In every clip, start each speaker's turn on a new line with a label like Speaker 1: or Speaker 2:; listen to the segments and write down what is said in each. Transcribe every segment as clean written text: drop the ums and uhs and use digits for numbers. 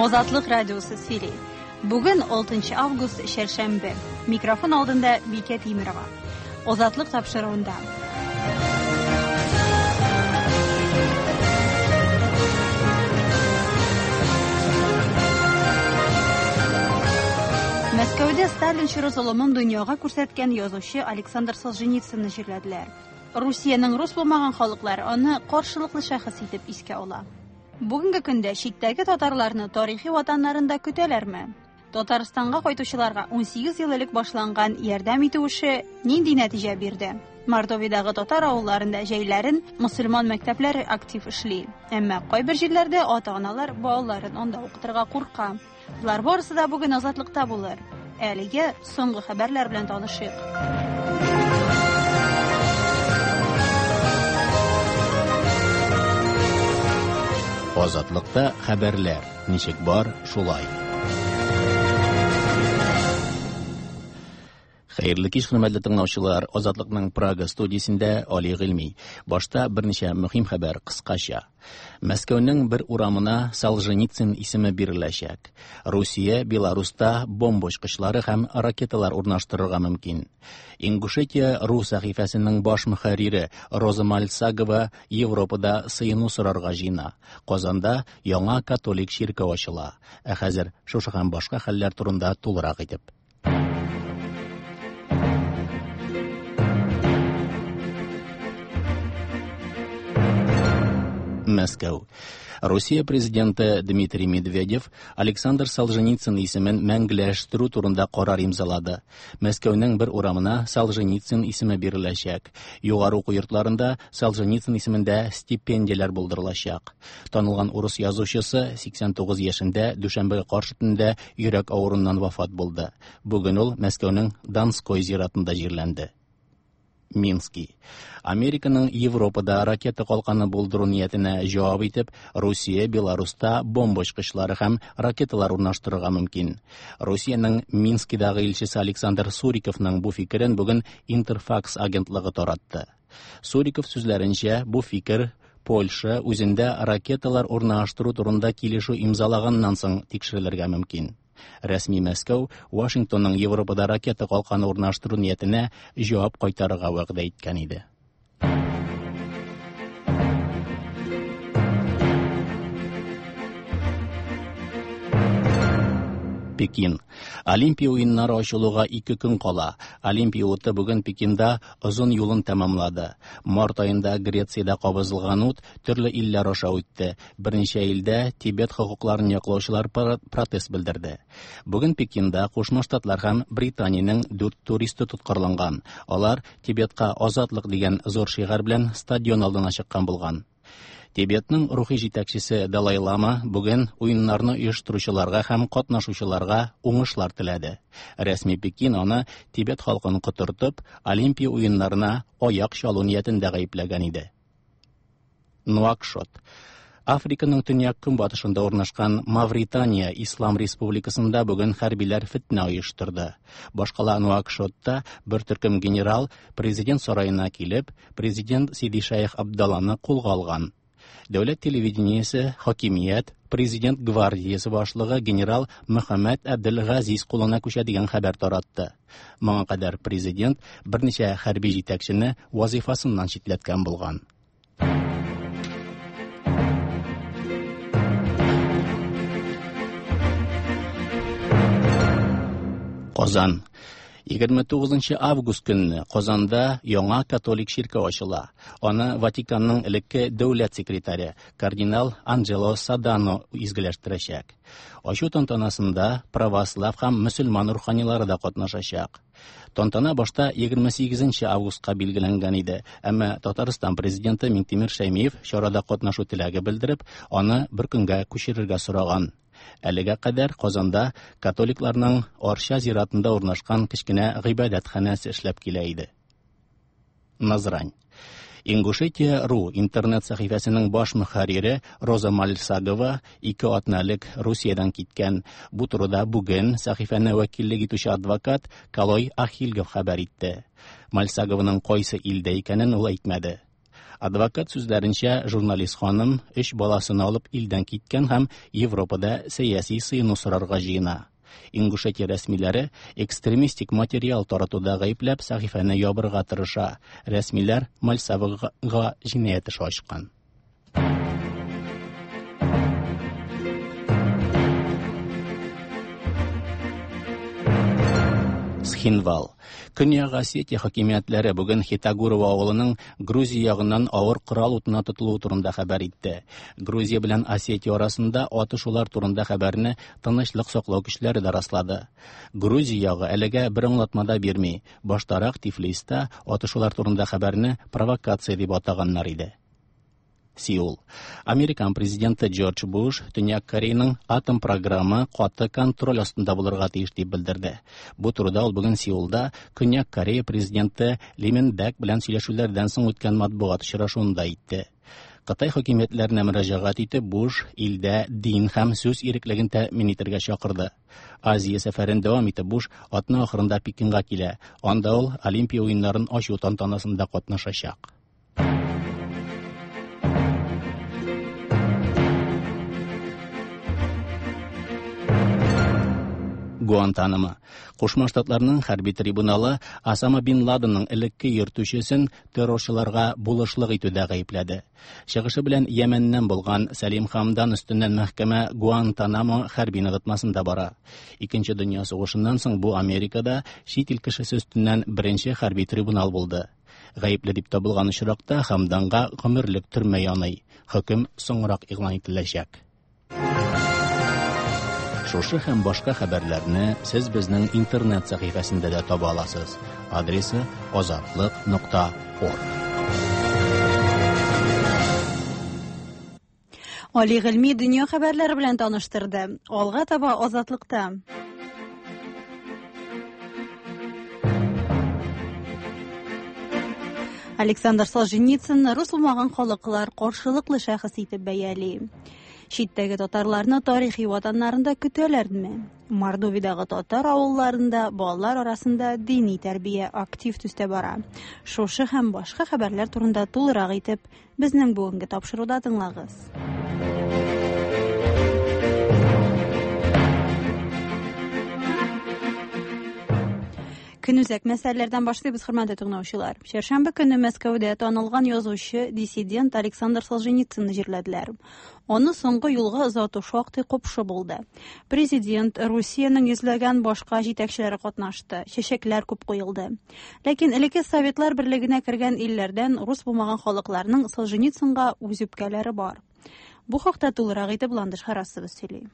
Speaker 1: Азатлык радиосы сөйли. Бүген 6 август, чәршәмбе. Микрофон алдында Бикә Тимерова. Азатлык тапшыруында. Мәскәүдә Сталин чоры золымын дөньяга күрсәткән язучы Александр Солженицынны җирләделәр. Русиянең рус булмаган халыклары аны каршылыклы шәхес итеп искә ала. Бүгенге көндә читтәге татарларны тарихи ватаннарында көтәләрме? Татарстанга кайтучыларга 18 ел элек башланган ярдәм итү эше нинди нәтиҗә бирде? Мордовиядагы татар авылларында җәйләрен мөселман мәктәпләре актив эшли. Әмма кайбер җирләрдә ата-аналар балаларын анда укытырга курка. Болар барысы да бүген Азатлыкта булыр. Әлегә соңгы хәбәрләр белән танышыйк.
Speaker 2: Азатлыкта хәбәрләр ничек бар, шулай. Хәерле кич, хөрмәтле тыңлаучылар. Азатлыкның Прага студиясендә Али Гыйльми. Башта берничә мөһим хәбәр кыскача. Мәскәүнең бер урамына Солженицын исеме биреләчәк. Русия Беларуста бомба очкычлары һәм ракеталар урнаштырырга мөмкин. Ингушетия ру сәхифәсенең баш мөхәррире Роза Мальсагова Европада сыену сорарга җыена. Казанда яңа католик чиркәү ачыла. Ә хәзер шушы һәм башка хәлләр турында тулырак итеп. Мәскәү. Русия президенты Дмитрий Медведев Александр Солженицын исемен мәңгеләштерү турында карар имзалады. Мәскәүнең бер урамына Солженицын исеме биреләчәк. Югары уку йортларында Солженицын исемендә стипендияләр булдырылачак. Танылган урыс язучысы 89 яшендә дүшәмбе каршы төндә йөрәк авыруыннан вафат булды. Бүген ул Мәскәүнең Донской зиратында җирләнде. Мински. Американың Европада ракета калканы булдыру ниятенә җавап итеп, Русия Беларуста бомба очкычлары һәм ракеталар урнаштырырга мөмкин. Русиянең Минскидагы илчесе Александр Суриковның бу фикерен бүген Интерфакс агентлыгы таратты. Суриков сүзләренчә, бу фикер Польша үзендә ракеталар урнаштыру турында килешү имзалаганнан соң тикшерелергә мөмкин. Рәсми Мәскәү Вашингтонның Европада ракета калканы урнаштыру ниятенә җавап кайтарырга вәгъдә иткән иде. Пекин. Олимпия уеннары ачылуга ике көн кала. Олимпия уты бүген Пекинда озын юлын тәмамлады. Март аенда Грециядә кабызылган ут төрле илләр аша үтте. Берничә илдә Тибет хокукларын яклаучылар протест белдерде. Бүген Пекинда Кушма Штатлар һәм Британиянең дүрт туристы тоткарланган. Алар Тибетка азатлык дигән зур шигарь белән стадион алдына чыккан булган. Тибетның рухи җитәкчесе Далай Лама бүген уеннарны оештыручыларга һәм катнашучыларга уңышлар теләде. Рәсми Пекин аны Тибет халкын котыртып, Олимпия уеннарына аяк чалу ниятендә гаепләгән иде. Нуакшот. Африканың төньяк-көнбатышында урнашкан Мавритания Ислам Республикасында бүген хәрбиләр фетнә оештырды. Башкала Нуакшотта бер төркем генерал президент сараена килеп, президент Сиди Шәех Абдалланы кулга алган. Дәүләт телевидениесе, хакимият, президент гвардиясе башлыгы генерал Мөхәммәд Әбделгазиз кулына күчә дигән хәбәр таратты. Моңа кадәр президент берничә хәрби җитәкчене вазифасыннан читләткән булган. Казан. 29 август көнне Казанда яңа католик чиркәү ачыла. Аны Ватиканның элекке дәүләт секретаре кардинал Анджело Садано изгеләштерәчәк. Ачу тантанасында православ һәм мөселман руханилары да катнашачак. Тантана башта 28 августка билгеләнгән иде, әмма Татарстан президенты Миңтимер Шәймиев чарада катнашу теләге белдереп, аны бер көнгә күчерергә сораган. Әлегә кадәр Казанда католикларның Арча зиратында урнашкан кечкенә гыйбадәтханәсе эшләп килә иде. Назрань. Ингушетия.ру интернет сәхифәсенең баш мөхәррире Роза Мальсагова ике атна элек Русиядән киткән. Бу турыда бүген сәхифәне вәкиллек итүче адвокат Калой Ахильгов хәбәр итте. Мальсагованың кайсы илдә икәнен ул әйтмәде. Адвокат сүзләренчә, журналист ханым өч баласын алып илдән киткән һәм Европада сәяси сыену сорарга җыена. Ингушетия рәсмиләре экстремистик материал таратуда гаепләп сәхифәне ябырга тырыша. Рәсмиләр Мальцевага җинаять эше ачкан. Схинвал. Көньяк Осетия хакимиятләре бүген Хитагурова авылының Грузия ягыннан авыр корал утына тотылуы турында хәбәр итте. Грузия белән Осетия арасында атышулар турында хәбәрне тынычлык саклау көчләре дә раслады. Грузия ягы әлегә бер аңлатма да бирми. Баштарак Тифлиста атышулар турында хәбәрне провокация дип атаганнар иде. Сеул. Американ президенты Джордж Буш Төньяк Кореяның атом программы каты контроль астында булырга тиеш дип белдерде. Бу турыда ул бүген Сеулда Көньяк Корея президенты Ли Мин Бәк белән сөйләшүләрдән соң үткән матбугат очрашуында әйтте. Кытай хакимиятләренә мөрәҗәгать итеп, Буш илдә дин һәм сүз иреклеген тәэмин итәргә чакырды. Азия сәфәрен дәвам итеп, Буш атна ахырында Пекинга килә. Анда ул Олимпия уеннарын ачу тантанасында катнашачак. Гуантанамо. Кушма Штатларның хәрби трибуналы Осама бин Ладенның элекке йөртүчесен террорчыларга булышлык итүдә гаепләде. Чыгышы белән Йәмәннән булган Сәлим Хамдан өстеннән мәхкәмә Гуантанамо хәрби ныгытмасында бара. Икенче дөнья сугышыннан соң бу Америкада чит ил кешесе өстеннән беренче хәрби трибунал булды. Гаепле дип табылган очракта Хамданга гомерлек төрмә яный. Хөкем соңрак игълан ителәчәк. Шушы һәм башка хәбәрләрне сез безнең интернет сәхифәсендә дә таба аласыз. Адресы азатлык.орг.
Speaker 1: Али Гыйльми дөнья хәбәрләре белән таныштырды. Алга таба Азатлыкта. Александр Солженицын рус булмаган халыклар каршылыклы шәхес итеп бәяли. Читтәге татарларны тарихи ватаннарында көтәләрме? Мордовиядагы татар авылларында балалар арасында дини тәрбия актив төстә бара. Шушы һәм башка хәбәрләр турында тулырак итеп безнең бүгенге тапшыруда тыңлагыз. Көнүзәк мәсьәләләрдән башлыйбыз, хөрмәтле тыңлаучылар. Чәршәмбе көнне Мәскәүдә танылган язучы, диссидент Александр Солженицынны җирләделәр. Аны соңгы юлга озату шактый купшы булды. Президент, Русиянең йөзләгән башка җитәкчеләре катнашты, чәчәкләр күп куелды. Ләкин элекке Советлар берлегенә кергән илләрдән рус булмаган халыкларның Солженицынга үз үпкәләре бар. Бу хакта тулырак итеп Ландыш Харасова сөйли.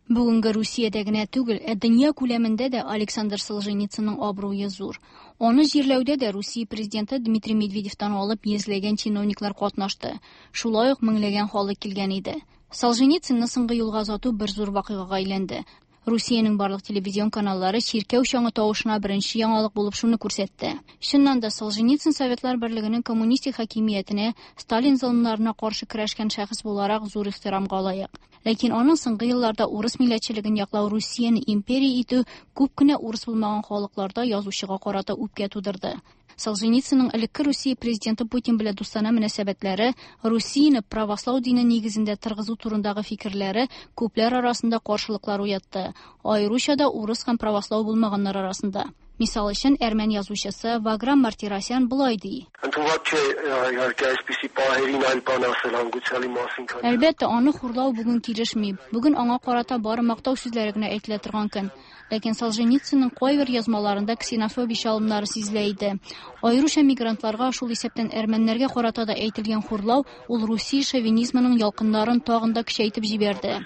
Speaker 3: Бүгенге Русиядә генә түгел, ә дөнья күләмендә дә Александр Солженицынның абруе зур. Аны җирләүдә дә Русия президенты Дмитрий Медведевтан алып йөзләгән чиновниклар катнашты. Шулай ук меңләгән халык килгән иде. Солженицынны соңгы юлга озату бер зур вакыйгага әйләнде. Русиянең барлык телевизион каналлары чиркәү чаңы тавышына беренче яңалык булып шуны күрсәтте. Чыннан да Солженицын Советлар Берлегенең коммунистик хакимиятенә, Сталин золымнарына каршы көрәшкән шәхес буларак зур ихтирамга лаек. Ләкин аның соңгы елларда урыс милләтчелеген яклау, Русияне империя итү күп кенә урыс булмаган халыкларда язучыга карата үпкә тудырды. Солженицынның элекке Русия президенты Путин белән дустанә мөнәсәбәтләре, Русияне правослау дине нигезендә торгызу турындагы фикерләре күпләр арасында каршылыклар уятты, аеруча да урыс һәм правослау булмаганнар арасында. Мисал өчен, әрмән язучысы Ваграм Мартиросян болай ди. Әлбәттә, аны хурлау бүген килешми. Бүген аңа карата бары мактау сүзләре генә әйтелә торган көн. Ләкин Солженицынның кайбер язмаларында ксенофобия чалымнары сизелә иде. Аеруча мигрантларга, шул исәптән әрмәннәргә карата да әйтелгән хурлау ул Русия шовинизмының ялкыннарын тагын да көчәйтеп җибәрде.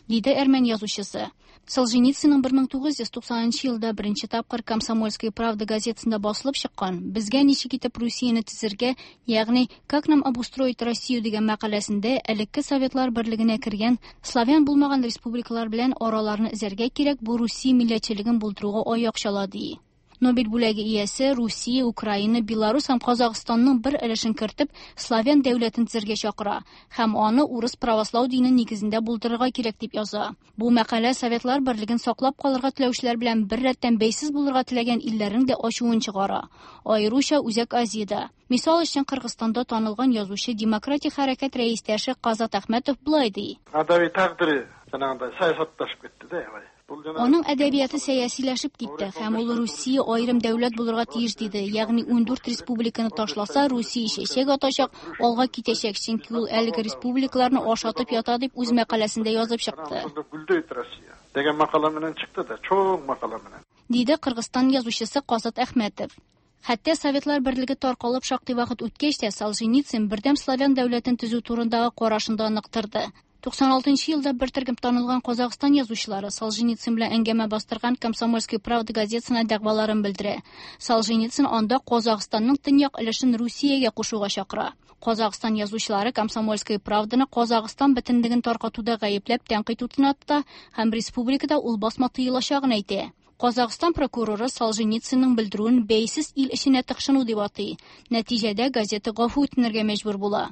Speaker 3: Диде әрмән язучысы. Солженицынның 1990 елда беренче тапкыр Комсомольская правда газетасында басылып чыккан Безгә ничек итеп Русияне төзергә, ягъни Как нам обустроить Россию дигән мәкаләсендә элекке Советлар берлегенә кергән славян булмаган республикалар белән араларны эзәргә кирәк, бу Русия милләтчелеген булдыруга аяк чала ди. Нобель бүләге иясе Русия, Украина, Беларус һәм Казахстанның бер өлешен кертеп, славян дәүләтен төзергә чакыра һәм аны урыс правослау дине нигезендә булдырырга кирәк дип яза. Бу мәкалә Советлар берлеген саклап калырга теләүчеләр белән бер рәттән бәйсез булырга теләгән илләрнең дә ачуын чыгара. Аеруча Үзәк Азиядә. Мисал өчен, Кыргызстанда танылган язучы, демократик хәрәкәт рәистәше Казат Әхмәтов болай ди.
Speaker 4: Адәби тагдыры жанагындай саясатташып кетти да аябай.
Speaker 3: Аның әдәбияты сәясиләшеп китте һәм ул Русия аерым дәүләт булырга тиеш диде. Ягъни 14 республиканы ташласа, Русия чәчәк атачак, алга китәчәк, чөнки ул әлеге республикаларны ашатып ята дип үз мәкаләсендә язып чыкты.
Speaker 4: Гүлдөйт Россия деген макала менен чыкты да, чоң макала менен.
Speaker 3: Диде Кыргызстан язучысы Казат Әхмәтов. Хәтта Советлар берлеге таркалып шактый вакыт үткәч тә Солженицын бердәм славян дәүләтен төзү турындагы карашын да нык торды. 96 елда бер төркем танылган Казахстан язучылары Солженицын белән әңгәмә бастырган Комсомольская правда газетасына дәгъваларын белдерә. Солженицын анда Казахстанның төньяк өлешен Русиягә кушуга чакыра. Казахстан язучылары Комсомольская правданы Казахстан бөтенлеген таркатуда гаепләп тәнкыйть утына тота һәм республикада ул басма тыелачагын әйтә. Казахстан прокуроры Солженицынның белдерүен бәйсез ил эченә тыкшыну дип атый. Нәтиҗәдә газета гафу үтенергә мәҗбүр була.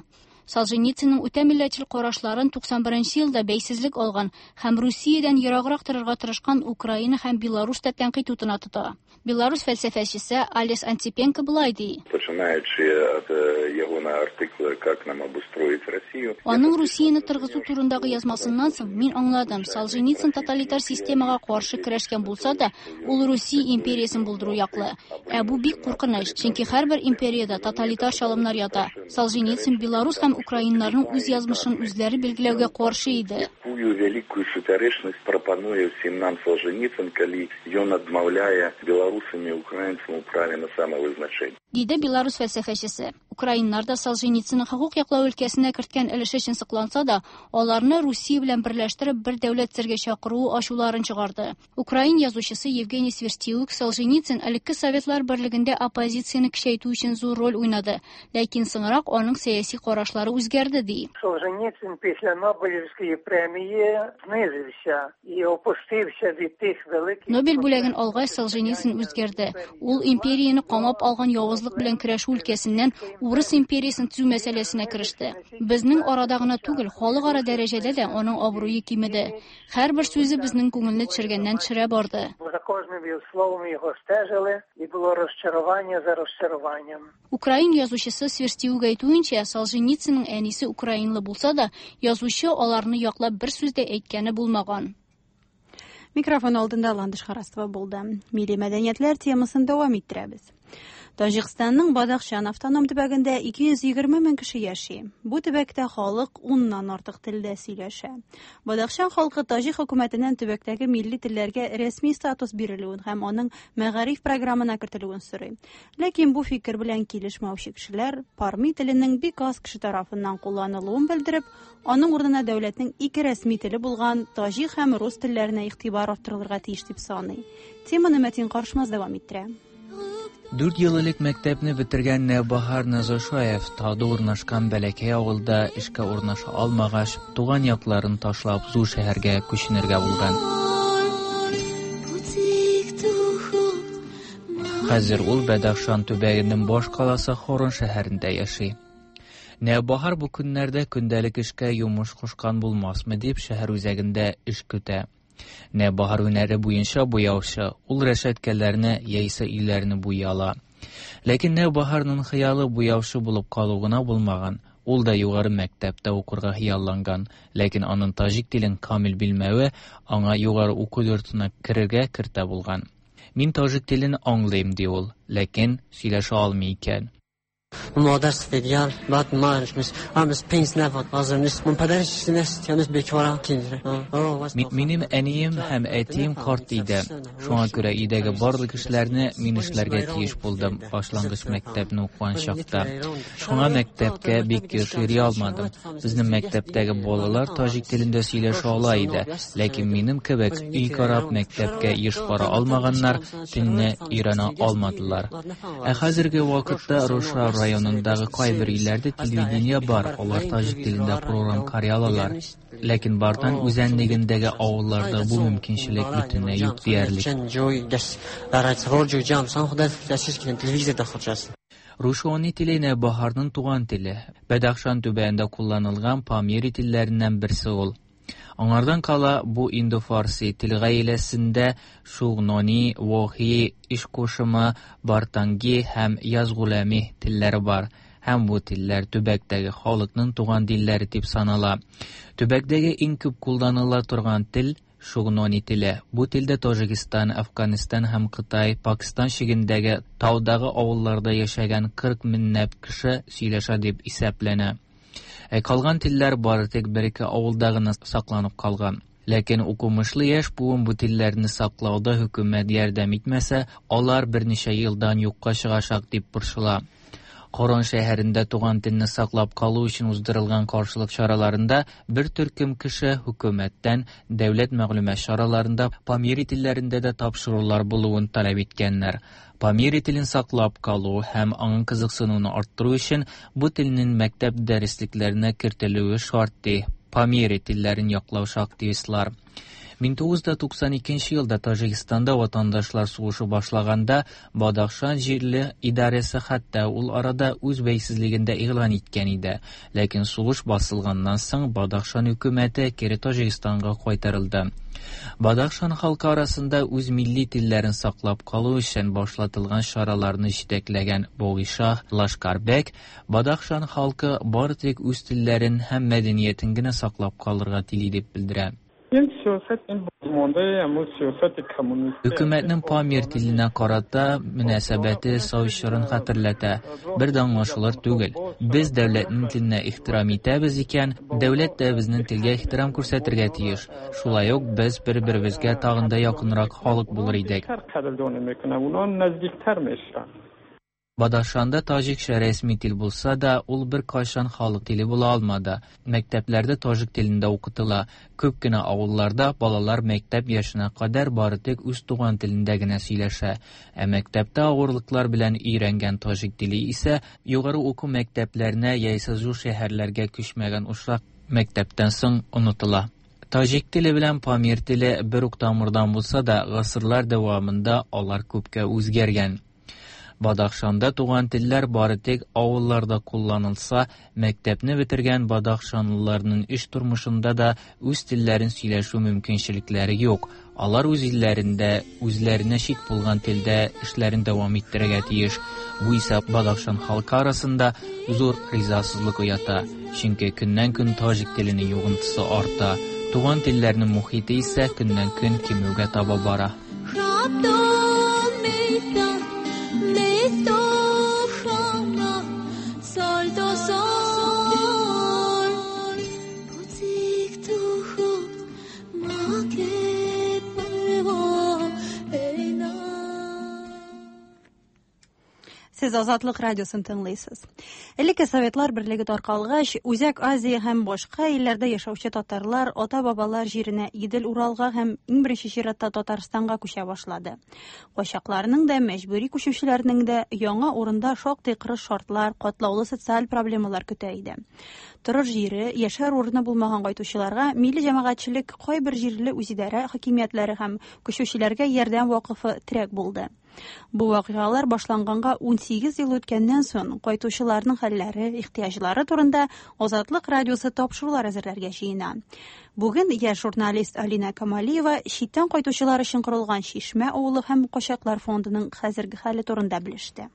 Speaker 3: Солженицынның үтә милләтчел карашларын 91 елда бәйсезлек алган һәм Русиядән ераграк торырга тырышкан Украина һәм Беларусь та тәнкыйть утына тота. Беларусь фәлсәфәчесе Алес Антипенко болай ди.
Speaker 5: Починаючи от ягона артикла «Как нам обустроить Россию».
Speaker 3: Аның Русияне торгызу турындагы язмасыннан соң мин аңладым, Солженицын тоталитар системага каршы көрәшкән булса да, ул Русия империясен булдыру яклы. Ә бу бик куркыныч, чөнки һәрбер империядә тоталитар чалымнар ята. Солженицын Беларусь һәм украиннарның үз язмышын үзләре билгеләүгә каршы иде.
Speaker 5: Якую вялікую супярэчнасць прапануе ўсім нам Солженицын, калі ён адмаўляе беларусам і украінцам у праве на самавызначэнне.
Speaker 3: Диде Беларусь фәлсәфәчесе. Украиннар да Солженицынның хокук яклау өлкәсенә керткән өлеше өчен сокланса да, аларны Русия белән берләштереп бер дәүләт төзергә чакыруы ачуларын чыгарды. Украин язучысы Евгений Сверстюк Солженицын элекке Советлар берлегендә оппозицияне көчәйтү өчен зур роль уйнады, ләкин соңрак аның сәяси карашлары үзгәрде ди.
Speaker 6: Солженицин після Нобелівської премії знизився і опустився від тих великих.
Speaker 3: Нобель бүләген алгач Солженицын үзгәрде. Ул империяне камап алган явызлык белән көрәшү өлкәсеннән Урыс империясын төзү мәсьәләсенә кереште. Безнең арада гына түгел, халыкара дәрәҗәдә дә аның абруе кимеде. Һәрбер сүзе безнең күңелне төшергәннән төшерә барды.
Speaker 6: За кожним його словом його стежили, і було розчарування за розчаруванням.
Speaker 3: Украин язучысы Сверстюк әйтүенчә, Солженицынның әнисе украинлы булса да, язучы аларны яклап бер сүз дә әйткәне булмаган.
Speaker 1: Микрофон алдында Ландыш Харастова булды. Милли мәдәниятләр темасын дәвам иттерәбез. Таҗикстанның Бадахшан автоном төбәгендә 220 мең кеше яши. Бу төбәктә халык 10-нан артык телдә сөйләшә. Бадахшан халкы таҗик хөкүмәтеннән төбәктәге милли телләргә рәсми статус бирелүен һәм аның мәгариф программасына кертелүен сорый. Ләкин бу фикер белән килешмәүче кешеләр парми теленең бик аз кеше тарафыннан кулланылуын белдереп, аның урынына дәүләтнең ике рәсми теле булган таҗик һәм рус телләренә игътибар арттырылырга тиеш дип саный. Теманы Мәтин Каршмаз дәвам иттерә.
Speaker 7: 4 ел элек мәктәпне бетергән Нәүбаһар Назошаев тауда урнашкан бәләкәй авылда эшкә урнаша алмагач, туган якларын ташлап зур шәһәргә күченергә булган. Хәзер ул Бәдәхшан төбәгенең баш каласы Хорон шәһәрендә яши. Нәүбаһар бу көннәрдә көндәлек эшкә йомыш кушкан булмасмы дип шәһәр үзәгендә эш көтә. Нәүбаһар һөнәре буенча буяучы, ул рәшәткәләрне яисә өйләрне буй ала. Ләкин Нәүбаһарның хыялы буяучы булып калу гына булмаган. Ул да югары мәктәптә укырга хыялланган, ләкин аның таҗик телен камил белмәве аңа югары уку йортына керергә киртә булган. Мин таҗик телен аңлыйм, ди ул, ләкин сөйләшә алмый икән.
Speaker 8: Модар сфедгар, баъд марш амс пенс нафат азыр мин падариш нес яныс бекора киндре.
Speaker 7: Минем әнием һәм әтием карт иде. Шуңа күрә өйдәге барлык эшләрне мин эшләргә тиеш булдым. Башлангыч мәктәпне укыган чакта. Шуңа мәктәпкә бик еш йөри алмадым. Безнең мәктәптәге балалар таҗик телендә сөйләшә ала иде, ләкин минем кебек өй карап мәктәпкә еш бара алмаганнар телне өйрәнә алмадылар. Ә хәзерге вакытта Руша районы районындагы кайбер өйләрдә телевидение бар, алар таҗик телендә программ карый алалар. Ләкин Бартан үзәнлегендәге авылларда бу мөмкинчелек бөтенләй юк диярлек. Рушони теле Нәүбаһарның туган теле. Бәдәхшан төбәгендә кулланылган Памири телләреннән берсе ул. Аңардан кала бу индо-фарси тел гаиләсендә Шугнони, Вохи, Ишкошымы, Бартанги һәм Язгуләми телләре бар. Һәм бу телләр төбәктәге халыкның туган телләре дип санала. Төбәктәге иң күп кулланыла торган тел Шугнони теле. Бу телдә Таҗикстан, Әфганстан һәм Кытай, Пакистан чигендәге таудагы авылларда яшәгән 40 меңләп кеше сөйләшә дип исәпләнә. Ә калган телләр бары тик бер-ике авылда гына сакланып калган. Ләкин укымышлы яшь буын бу телләрне саклауда хөкүмәт ярдәм итмәсә, алар берничә елдан юкка чыгачак дип борчыла. Корон шәһәрендә туган телне саклап калу өчен уздырылган каршылык чараларында бер төркем кеше хөкүмәттән дәүләт мәгълүмат чараларында памири телләрендә дә тапшырулар булуын таләп иткәннәр. Памири телен саклап калу һәм аңа кызыксынуны арттыру өчен бу телнең мәктәп дәреслекләренә кертелүе шарт ди Памири телләрен яклаучы активистлар. 1992 елда Таҗикстанда ватандашлар сугышы башлаганда Бадахшан җирле идарәсе хәтта ул арада үз бәйсезлеген дә игълан иткән иде. Ләкин сугыш басылганнан соң Бадахшан хөкүмәте кире Таҗикстанга кайтарылды. Бадахшан халкы арасында үз милли телләрен саклап калу өчен башлатылган чараларны җитәкләгән Богишах Лашкарбек Бадахшан халкы бары тик үз телләрен һәм мәдәниятен генә саклап калырга тели дип белдерә. Хөкүмәтнең Памир теленә карата мөнәсәбәте совет чорын хәтерләтә. Бер дә аңлашылыр түгел. Без дәүләтнең теленә ихтирам итәбез икән, дәүләт тә безнең телгә ихтирам күрсәтергә тиеш. Шулай ук без бер-беребезгә тагын да якынрак халык булыр идек. Бадахшанда таҗикча рәсми тел булса да, ул беркайчан халык теле була алмады. Мәктәпләрдә таҗик телендә укытыла. Күп кенә авылларда балалар мәктәп яшенә кадәр бары тик үз туган телендә генә сөйләшә. Ә мәктәптә авырлыклар белән өйрәнгән таҗик теле исә югары уку мәктәпләренә яисә зур шәһәрләргә күчмәгән очрак мәктәптән соң онытыла. Таҗик теле белән памир теле бер үк тамырдан булса да, гасырлар дәвамында алар күпкә үзгәргән. Бадахшанда туган телләр бары тик авылларда кулланылса, мәктәпне бетергән бадахшанлыларның эш тормышында да үз телләрен сөйләшү мөмкинчелекләре юк. Алар үз илләрендә үзләренә чит булган телдә эшләрен дәвам иттерергә тиеш. Бу исә Бадахшан халкы арасында зур ризасызлык уята. Чөнки көннән-көн таҗик теленең йогынтысы арта. Туган телләрнең мохите исә көннән-көн кимүгә таба бара.
Speaker 1: Сез Азатлык радиосын тыңлыйсыз. Элекке Советлар берлеге таркалгач, Үзәк Азия һәм башка илләрдә яшәүче татарлар ата-бабалар җиренә Идел-Уралга һәм иң беренче чиратта Татарстанга күчә башлады. Качакларның да, мәҗбүри күчүчеләрнең дә яңа урында шактый кырыс шартлар, катлаулы социаль проблемалар көтә иде. Торыр җире, яшәр урыны булмаган кайтучыларга милли җәмәгатьчелек, кайбер җирле үзидарә хакимиятләре һәм күчүчеләргә ярдәм вакыфы терәк булды. Бу вакыйгалар башланганга 18 ел үткәннән соң кайтучыларның хәлләре, ихтыяҗлары турында Азатлык радиосы тапшырулар әзерләргә җыена. Бүген яшь журналист Алина Камалиева читтән кайтучылар өчен корылган Чишмә авылы һәм качаклар фондының хәзерге хәле турында белеште.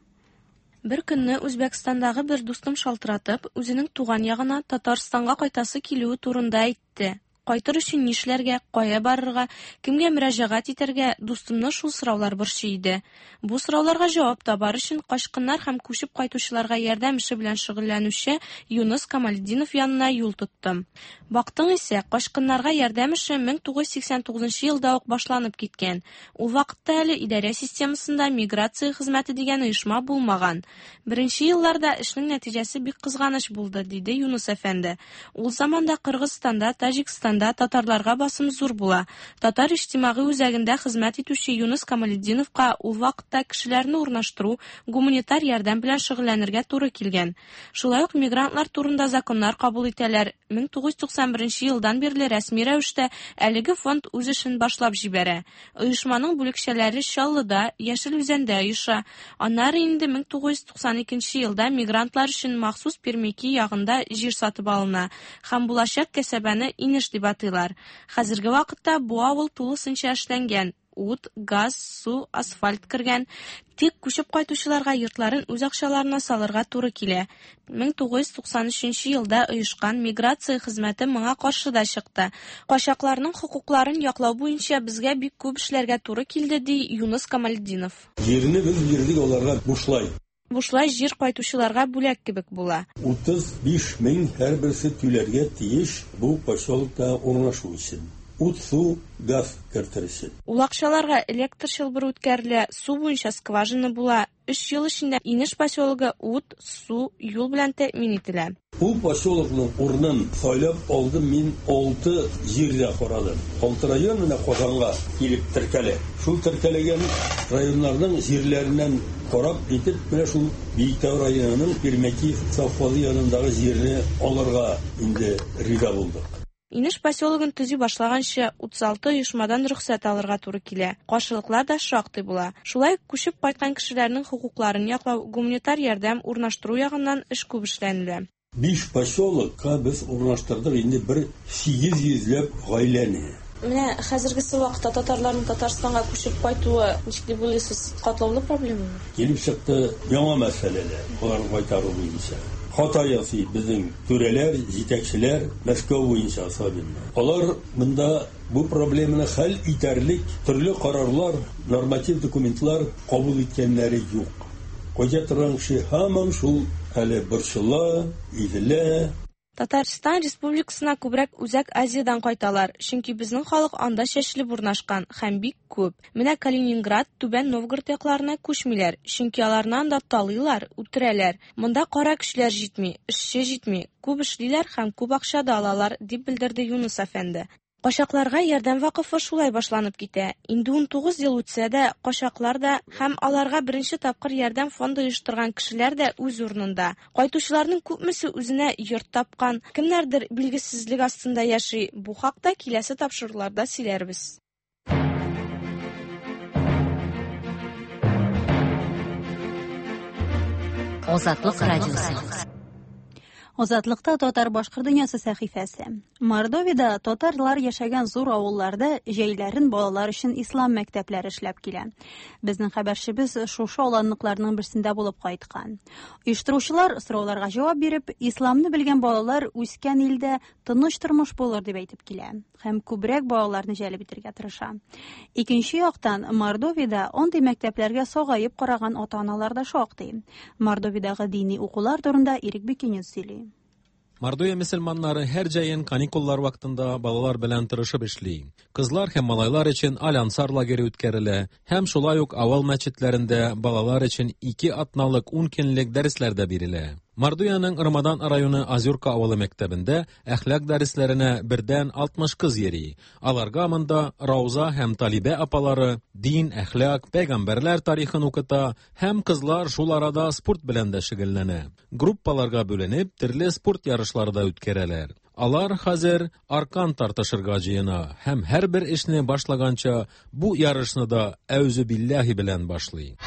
Speaker 9: Бер көнне Үзбәкстандагы бер дустым шалтыратып, үзенең туган ягына Татарстанга кайтасы килүе турында әйтте. Кайтыр өчен нишләргә, кая барырга, кемгә мөрәҗәгать итәргә, дустымны шул сораулар борчый иде. Бу сорауларга җавап табар өчен качкыннар һәм күчеп кайтучыларга ярдәм эше белән шөгыльләнүче Юныс Камалетдинов янына юл тоттым. Бактың исә, качкыннарга ярдәм эше 1989 елда ук башланып киткән. Ул вакытта әле идарә системасында миграция хезмәте дигән оешма булмаган. Беренче елларда эшнең нәтиҗәсе бик кызганыч булды, диде Юныс әфәнде. Ул заманда Кыргызстанда, Таҗикстанда татарларга басым зур була. Татар иҗтимагый үзәгендә хезмәт итүче Юныс Камалетдиновка ул вакытта кешеләрне урнаштыру, гуманитар ярдәм белән шөгыльләнергә туры килгән. Шулай ук мигрантлар турында законнар кабул итәләр. 1991 елдан бирле рәсми рәвештә әлеге фонд үз эшен башлап җибәрә. Оешманың бүлекчәләре Чаллыда, Яшел Үзәндә оеша. Аннары инде 1992 елда мигрантлар өчен махсус Пермяки ягында җир сатып алына һәм булачак кәсәбәне Инеш дип атыйлар. Хәзерге вакытта бу авыл тулысынча эшләнгән. Ут, газ, су, асфальт кергән. Тик күчеп кайтучыларга йортларын үз акчаларына салырга туры килә. 1993 елда оешкан миграция хезмәте моңа каршы да чыкты. Качакларның хокукларын яклау буенча безгә бик күп эшләргә туры килде, ди Юныс Камалетдинов.
Speaker 10: Җирне без бирдек аларга бушлай.
Speaker 9: Бушлай җир кайтучыларга бүләк кебек була.
Speaker 10: 35 мең һәрберсе түләргә тиеш бу поселокта урнашу өчен. Ут, су, газ кертер өчен.
Speaker 9: Ул акчаларга электр чылбыры үткәрелә, су буенча скважина була. 3 ел эчендә Инеш поселогы ут, су, юл белән тәэмин ителә.
Speaker 10: Бу поселокның урынын сайлап алдым мин 6 җирдә карадым. 6 район менә Казанга килеп теркәлә. Шул теркәлгән районнарның җирләреннән карап итеп, менә шул Биектау районының Пермяки совхозы янындагы җирне алырга инде риза булдык.
Speaker 9: Инеш поселогын төзи башлаганчы 36 оешмадан рөхсәт алырга туры килә. Каршылыклар да шактый була. Шулай күчеп кайткан кешеләрнең хокукларын яклау, гуманитар ярдәм урнаштыру ягыннан эш күп эшләнелә.
Speaker 10: 5 поселокка без урнаштырдык инде бер 800 ләп гаиләне.
Speaker 9: Менә хәзергесе вакытта татарларның Татарстанга күчеп кайтуы ничек дип уйлыйсыз, катлаулы проблемамы?
Speaker 10: Килеп чыкты яңа мәсьәләләр, аларны кайтару буенча. Хата ясый безнең түрәләр, җитәкчеләр, Мәскәү буенча особенно. Алар монда бу проблеманы хәл итәрлек төрле карарлар, норматив документлар кабул иткәннәре юк. Кайта торган кеше һаман шул әле борчыла, изелә.
Speaker 9: Татарстан Республикасына күбрәк Үзәк Азиядән кайталар, чөнки безнең халык анда чәчелеп урнашкан һәм бик күп. Менә Калининград, Түбән Новгород якларына күчмиләр, чөнки аларны анда талыйлар, үтерәләр. Монда кара көчләр җитми, эшче җитми, күп эшлиләр һәм күп акча да алалар, дип белдерде Юныс әфәнде. Качакларга ярдәм вакыфы шулай башланып китә. Инде 19 ел үтсә дә, качаклар да һәм аларга беренче тапкыр ярдәм фонды оештырган кешеләр дә үз урынында. Кайтучыларның күпмесе үзенә йорт тапкан, кемнәрдер билгесезлек астында яши. Бу хакта киләсе тапшыруларда сөйләрбез.
Speaker 11: Азатлык радиосы.
Speaker 1: Азатлыкта татар башкорт дөньясы сәхифәсе. Мордовиядә татарлар яшәгән зур авылларда җәйләрен балалар өчен ислам мәктәпләре эшләп килә. Безнең хәбәрчебез шушы аланлыкларның берсендә булып кайткан. Оештыручылар сорауларга җавап биреп, исламны белгән балалар үскән илдә тыныч тормыш булыр дип әйтеп килә һәм күбрәк балаларны җәлеп итәргә тырыша. Икенче яктан, Мордовиядә андый мәктәпләргә сагаеп караган ата-аналар да шактый. Мордовиядәге дини укулар турында Ирек Бекенев сөйли.
Speaker 12: Мордовия мөселманнары һәр җәен каникуллар вакытында балалар белән тырышып эшли. Кызлар һәм малайлар өчен Аль-Ансар лагере үткәрелә һәм шулай ук авыл мәчетләрендә балалар өчен 2 атналык 10 көнлек дәресләр дә бирелә. Мордовиянең Ромодан районы Азюрка авылы мәктәбендә әхлак дәресләренә бердән 60 кыз йөри. Аларга монда Рауза һәм Талибә апалары дин, әхлак, пәйгамбәрләр тарихын укыта һәм кызлар шул арада спорт белән дә шөгыльләнә. Группаларга бүленеп, төрле спорт ярышлары да үткәрәләр. Алар хәзер аркан тартышырга җыена һәм һәрбер эшне башлаганча бу ярышны да әүзү билләһи белән башлый.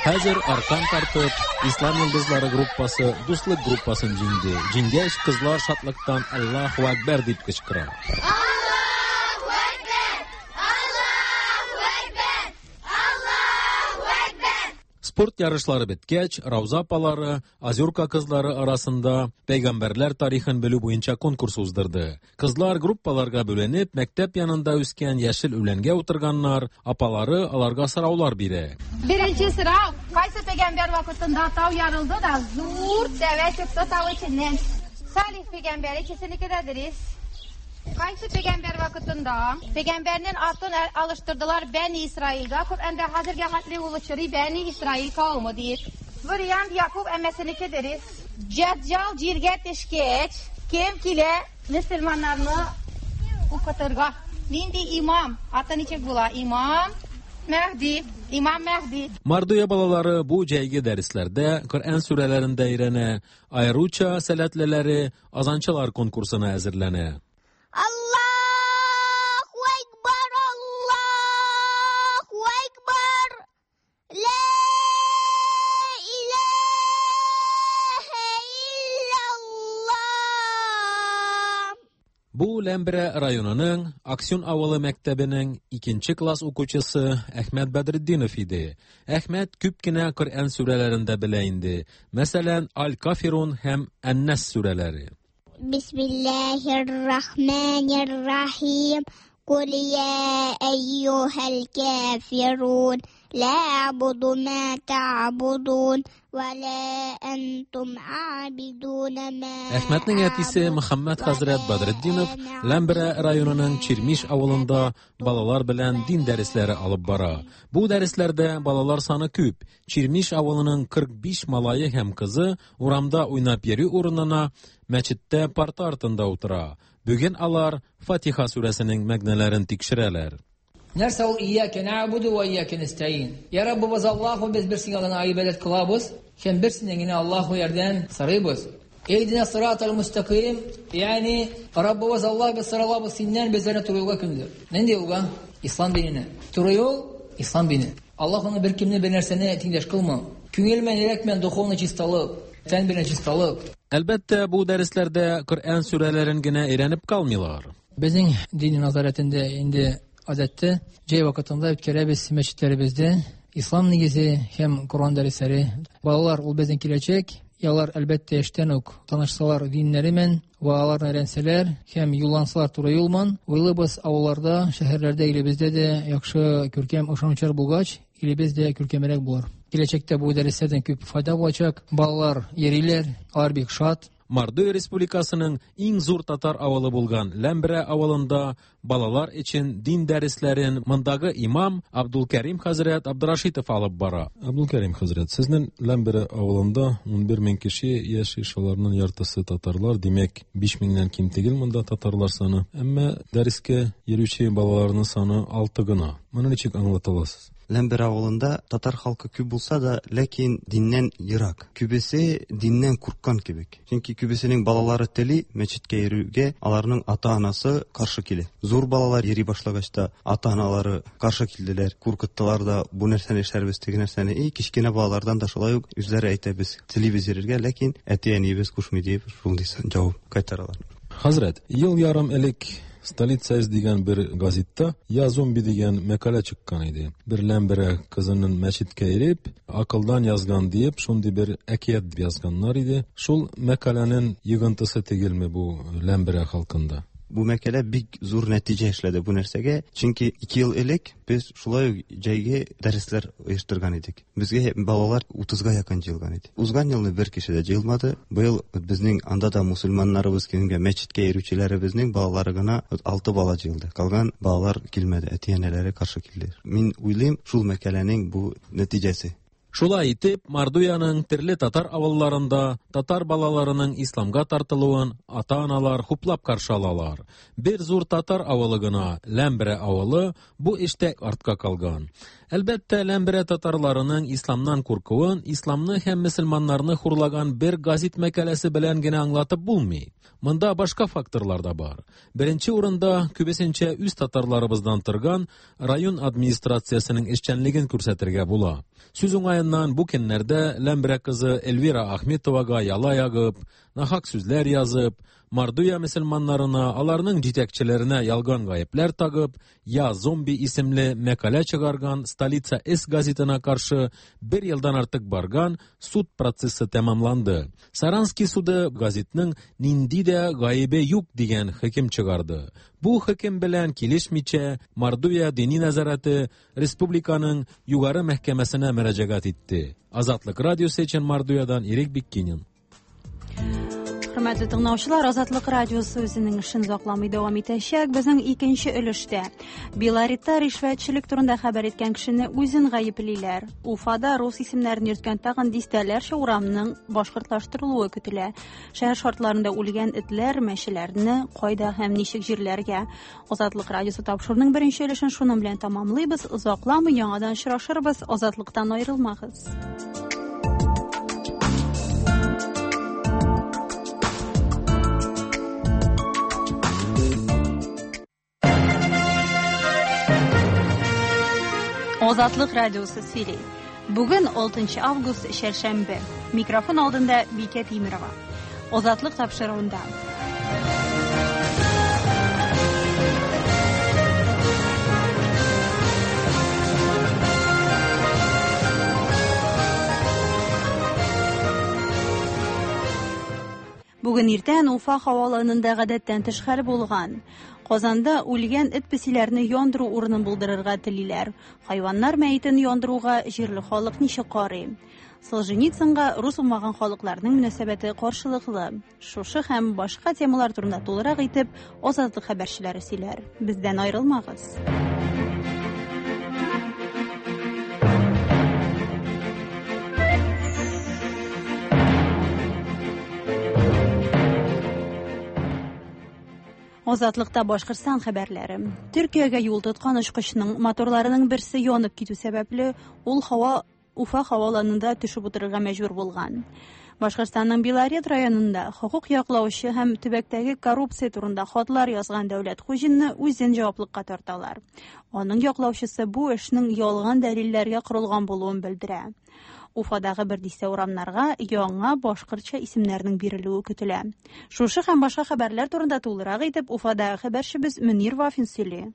Speaker 12: Хәзер аркан тартып, Ислам йолдызлары группасы Дуслык группасын җиңде. Җиңгәч, кызлар шатлыктан Аллаһу Акбар дип кычкыра.
Speaker 13: Аллаһу Акбар! Аллаһу Акбар! Аллаһу Акбар!
Speaker 12: Спорт ярышлары беткәч, Рауза апалары Озерка кызлары арасында пәйгамбәрләр тарихын белү буенча конкурс уздырды. Кызлар группаларга бүленеп, мәктәп янында үскән яшел үләнгә утырганнар, апалары аларга сораулар бирә.
Speaker 13: Беренче сорау, кайсы пәйгамбәр вакытында тау ярылды да, зур тәвә чыкты тау эченнән? Салих пәйгамбәр, икесенеке дә дөрес. Кайсы пәйгамбәр вакытында пәйгамбәрнең атын алыштырдылар Бәни Исраилгә, Коръәндә хәзергә хәтле ул очрый Бәни Исраил кавымы диеп. Вариант Якуб әммәсенеке дөрес. Дәҗҗал җиргә төшкәч, кем килә мөселманнарны укытырга? Нинди имам? Аты ничек була? Имам Мәһди. Имам Мәһди.
Speaker 12: Мордовия балалары бу җәйге дәресләрдә Коръән сүрәләрен дә өйрәнә, аеруча сәләтлеләре азанчылар конкурсына әзерләнә.
Speaker 14: Аллаһу Акбар, Аллаһу Акбар. Ла илаһа иллаллаһ.
Speaker 12: Бу Ләмберә районының Аксюн авылы мәктәбенең икенче класс укучысы Әхмәт Бәдретдинов иде. Әхмәт күп кенә Коръән сүрәләрен дә белә инде. Мәсәлән, Аль-Кафирун һәм Ән-Нас сүрәләре.
Speaker 14: Бисмиллаһир-рахманир-рахим. Кул я әйюһәл кафирун. Ла а'буду ма та'будун ва ла антум абидуна ма
Speaker 12: Әхмәтнең әтисе Мөхәммәд хәзрәт Бәдретдинов Ләмберә районының Чирмиш авылында балалар белән дин дәресләре алып бара. Бу дәресләрдә балалар саны күп. Чирмиш авылының 45 малае һәм кызы урамда уйнап йөрү урынына мәчеттә парта артында утыра. Бүген алар Фатиха сүрәсенең мәгънәләрен тикшерәләр.
Speaker 15: Нәрсә ул ияке нәбуду ва ияке нәстәин? Я Раббыбыз Аллаһу, без бер сиңа гына гыйбадәт кылабыз, һәм бер синнән генә Аллаһу ярдәм сорыйбыз. Иһдина сиратал мустаким, ягъни Раббыбыз Аллаһ, без соралабыз синнән безләрне туры юлга күндер. Нинди юлга? Ислам диненә. Туры юл ислам дине. Аллаһ аны бер кемне бер нәрсәне тиңдәш кылма. Күңел белән, йөрәк белән духовный чисталык, тән белән чисталык.
Speaker 12: Әлбәттә, бу дәресләрдә Коръән сүрәләрен генә өйрәнеп калмыйлар.
Speaker 15: Безнең дини назарәтендә инде гадәттә җәй вакытында үткәрәбез мәчетләребездә ислам нигезе һәм Коръән дәресләре. Балалар ул безнең киләчәк. Алар әлбәттә яшьтән үк танышсалар диннәре белән ва аларны өйрәнсәләр һәм юллансалар туры юл белән, уйлыйбыз авылларда, шәһәрләрдә, илебездә дә яхшы күркәм ышанучылар булгач, илебез дә күркәмрәк булыр. Киләчәктә бу дәресләрдән күп файда булачак. Балалар йөриләр, алар бик шат.
Speaker 12: Мордовия Республикасының иң зур татар авылы булган Ләмберә авылында балалар өчен дин дәресләрен мондагы имам Абдулкәрим хәзрәт Абдрашитов алып бара. Абдулкәрим хәзрәт, сезнең Ләмберә авылында 11 мең кеше яши, шуларның яртысы татарлар, димәк, 5 меңнән ким түгел монда татарлар саны. Әмма дәрескә йөрүче балаларның саны 6 гына. Моны ничек аңлата аласыз?
Speaker 16: Ләмбер авылында татар халкы күп булса да, ләкин диннән ерак. Күбесе диннән курккан кебек. Чөнки күбесенең балалары тели мәчеткә йөрүгә, аларның ата-анасы каршы килә. Зур балалар йөри башлагач та ата-аналары каршы килделәр, куркыттылар да, бу нәрсәне эшләрбез, теге нәрсәне. И кечкенә балалардан да шулай ук үзләре әйтә, без телибез йөрергә, ләкин әти-әниебез кушмый дип шундый җавап кайтаралар.
Speaker 12: Хәзрәт, ел ярым элек Столица С дигән бер газетта Я зомби дигән мәкалә чыккан иде. Бер Ләмберә кызының мәчеткә иреп, акылдан язган диеп, шундый бер әкият язганнар иде. Шул мәкаләнең йогынтысы түгелме бу Ләмберә халкында?
Speaker 16: Бу мәкалә бик зур нәтиҗә эшләде бу нәрсәгә, чөнки 2 ел элек без шулай ук җәйге дәресләр оештырган идек. Безгә балалар 30-га якын җыелган иде. Узган елны бер кеше дә җыелмады. Быел безнең анда да мусульманнарыбыз килгән, мәчеткә йөрүчеләребезнең балалары гына 6 бала җыелды. Калган балалар килмәде, әти-әниләре каршы килде. Мин уйлыйм, шул мәкаләнең бу нәтиҗәсе.
Speaker 12: Шулай итеп, Мордовиянең төрле татар авылларында татар балаларының исламга тартылуын ата-аналар хуплап каршы алалар. Бер зур татар авылы гына, Ләмберә авылы, бу эштә артка калган. Әлбәттә, Ләмберә татарларының исламнан куркуын, исламны һәм мөселманнарны хурлаган бер газет мәкаләсе белән генә аңлатып булмый. Монда башка факторлар да бар. Беренче урында күбесенчә үз татарларыбыздан торган район администрациясенең эшчәнлеген күрсәтергә була. Сүз уңаеннан бу көннәрдә Ләмберә кызы Эльвира Ахметовага яла ягып, нахак сүзләр язып, Мордовия мөселманнарына, аларның җитәкчеләренә ялган гаепләр тагып, Я зомби исемле мәкалә чыгарган Столица С газетына каршы бер елдан артык барган суд процессы тәмамланды. Саранский суды газетның нинди дә гаебе юк дигән хөкем чыгарды. Бу хөкем белән килешмичә, Мордовия дини нәзарәте республиканың югары мәхкәмәсенә мөрәҗәгать итте. Азатлык радиосы өчен Мордовиядан Ирек Биккинин.
Speaker 1: Хөрмәтле тыңлаучылар, Азатлык радиосы үзенең эшен озакламый дәвам итәчәк. Безнең икенче өлештә Беларетта ришвәтчелек турында хәбәр иткән кешене үзен гаеплиләр. Уфада рус исемнәрен йөрткән тагын дистәләрчә урамның башкортлаштырылуы көтелә. Шәһәр шартларында үлгән этләр, мәчеләрне кайда һәм ничек җирләргә? Азатлык радиосы тапшыруның беренче өлешен шуның белән тәмамлыйбыз. Озакламый яңадан очрашырбыз. Азатлыктан аерылмагыз. Азатлык радиосы сөйли. Бүген 6 август чәршәмбе. Микрофон алдында Бикә Тимирова. Азатлык тапшыруында. Бүген иртән Уфа һаваланында гадәттән тыш хәл булган. Казанда үлгән эт-песиләрне яндыру урынын булдырырга телиләр. Хайваннар мәетен яндыруга җирле халык ничек карый? Солженицынга рус булмаган халыкларның мөнәсәбәте каршылыклы. Шушы һәм башка темалар турында тулырак итеп Азатлык хәбәрчеләре сөйләр. Бездән аерылмагыз. Азатлыкта Башкортстан хәбәрләре. Төркиягә юл тоткан очкычның моторларының берсе янып китү сәбәпле, ул һава Уфа һаваланында төшеп утырырга мәҗбүр булган. Башкортстанның Белорет районында хокук яклаучы һәм төбәктәге коррупция турында хатлар язган Дәүләт Хуҗинны үзен җаваплыкка тарталар. Аның яклаучысы бу эшнең ялган дәлилләргә корылган булуын белдерә. Уфадагы бер дистә урамнарга яңа башкортча исемнәрнең бирелүе көтелә. Шушы һәм башка хәбәрләр турында тулырак итеп Уфадагы хәбәрчебез Мөнир Вафин сөйли.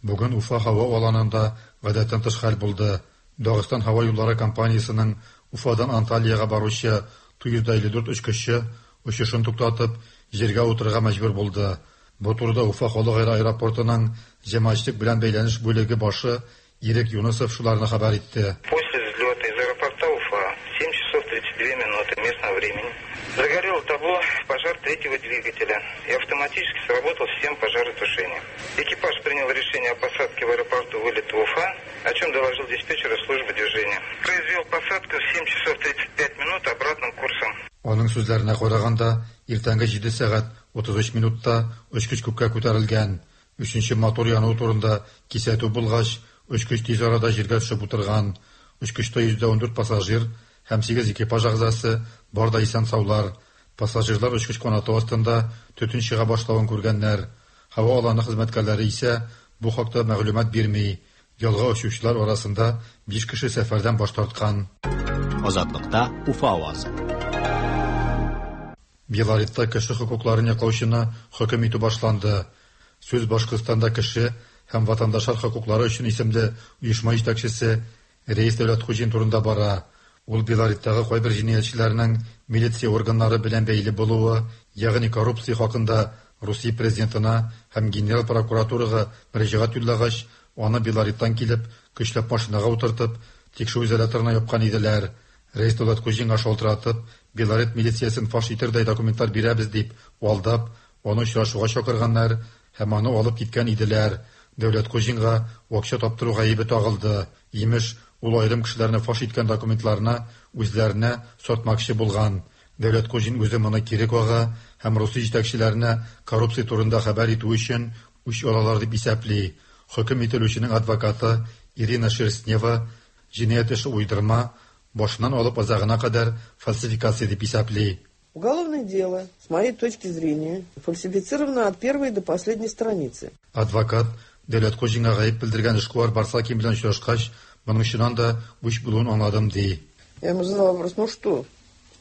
Speaker 4: Бүген Уфа һава аланында гадәттән тыш хәл булды. Дагыстан һава юллары компаниясенең Уфадан Анталиягә баручы Ту-154 очкычы, очышын туктатып, җиргә утырырга мәҗбүр булды. Бу турыда Уфа халыкара аэропортының җәмәгатьчелек белән бәйләнеш бүлеге башы Ирек Юнысов шуларны хәбәр итте.
Speaker 17: После взлета из аэропорта Уфа в 7 часов 32 минуты местного времени загорел табло пожар третьего двигателя и автоматически сработал система пожаротушения. Экипаж принял решение о посадке в аэропорту вылета Уфа, о чем доложил диспетчер службы движения. Произвел посадку в 7 часов 35 минут обратным курсом.
Speaker 4: Аның сүзләренә караганда, иртәнге 7 сәгать 33 минутта очкыч күккә күтәрелгән. Өченче мотор януы турында кисәтү булгач, очкыч тиз арада җиргә төшеп утырган. Очкычта 114 пассажир һәм 8 экипаж әгъзасы бар да исән-саулар. Пассажирлар очкыч канаты астында төтен чыга башлавын күргәннәр. Һава аланы хезмәткәрләре исә бу хакта мәгълүмат бирми. Ялга очучылар арасында 5 кеше сәфәрдән баш тарткан.
Speaker 2: Азатлыкта Уфа авазы.
Speaker 4: Белоретта кеше хокукларын яклаучыны хөкем итү башланды. Сүз Башкортстанда кеше һәм ватандашлар хокуклары өчен исемле оешма җитәкчесе Рәис Дәүләтхуҗин турында бара. Ул Белореттагы кайбер җинаятьчеләрнең милиция органнары белән бәйле булуы, ягъни коррупция хакында Русия президентына һәм генераль прокуратурага мөрәҗәгать юллагач, аны Белореттан килеп, көчләп машинага утыртып, тикшерү изоляторына япкан иделәр. Рәис Дәүләтхуҗинга шалтыратып, Белорет милициясен фаш итердәй документлар бирәбез дип алдап, аны очрашуга чакырганнар һәм аны алып киткән иделәр. Дәүләтхуҗинга акча таптыру гаебе тагылды. Имеш, ул аерым кешеләрне фаш иткән документларны үзләренә сатмакчы булган. Дәүләтхуҗин үзе моны кире кага һәм Русия җитәкчеләренә коррупция турында хәбәр итү өчен үч алалар дип исәпли. Хөкем ителүченең адвокаты Ирина Шерстнева җинаять эше уйдырма, башыннан алып азагына кадәр фальсификация дип исәпли.
Speaker 18: Уголовное дело, с моей точки зрения, фальсифицировано от первой до последней страницы.
Speaker 4: Адвокат Дәүләтхуҗинга гаеп белдергән эшкуар Барсакин белән очрашкач, моның чыннан да үч булуын аңладым, ди.
Speaker 18: Я ему задала вопрос, ну что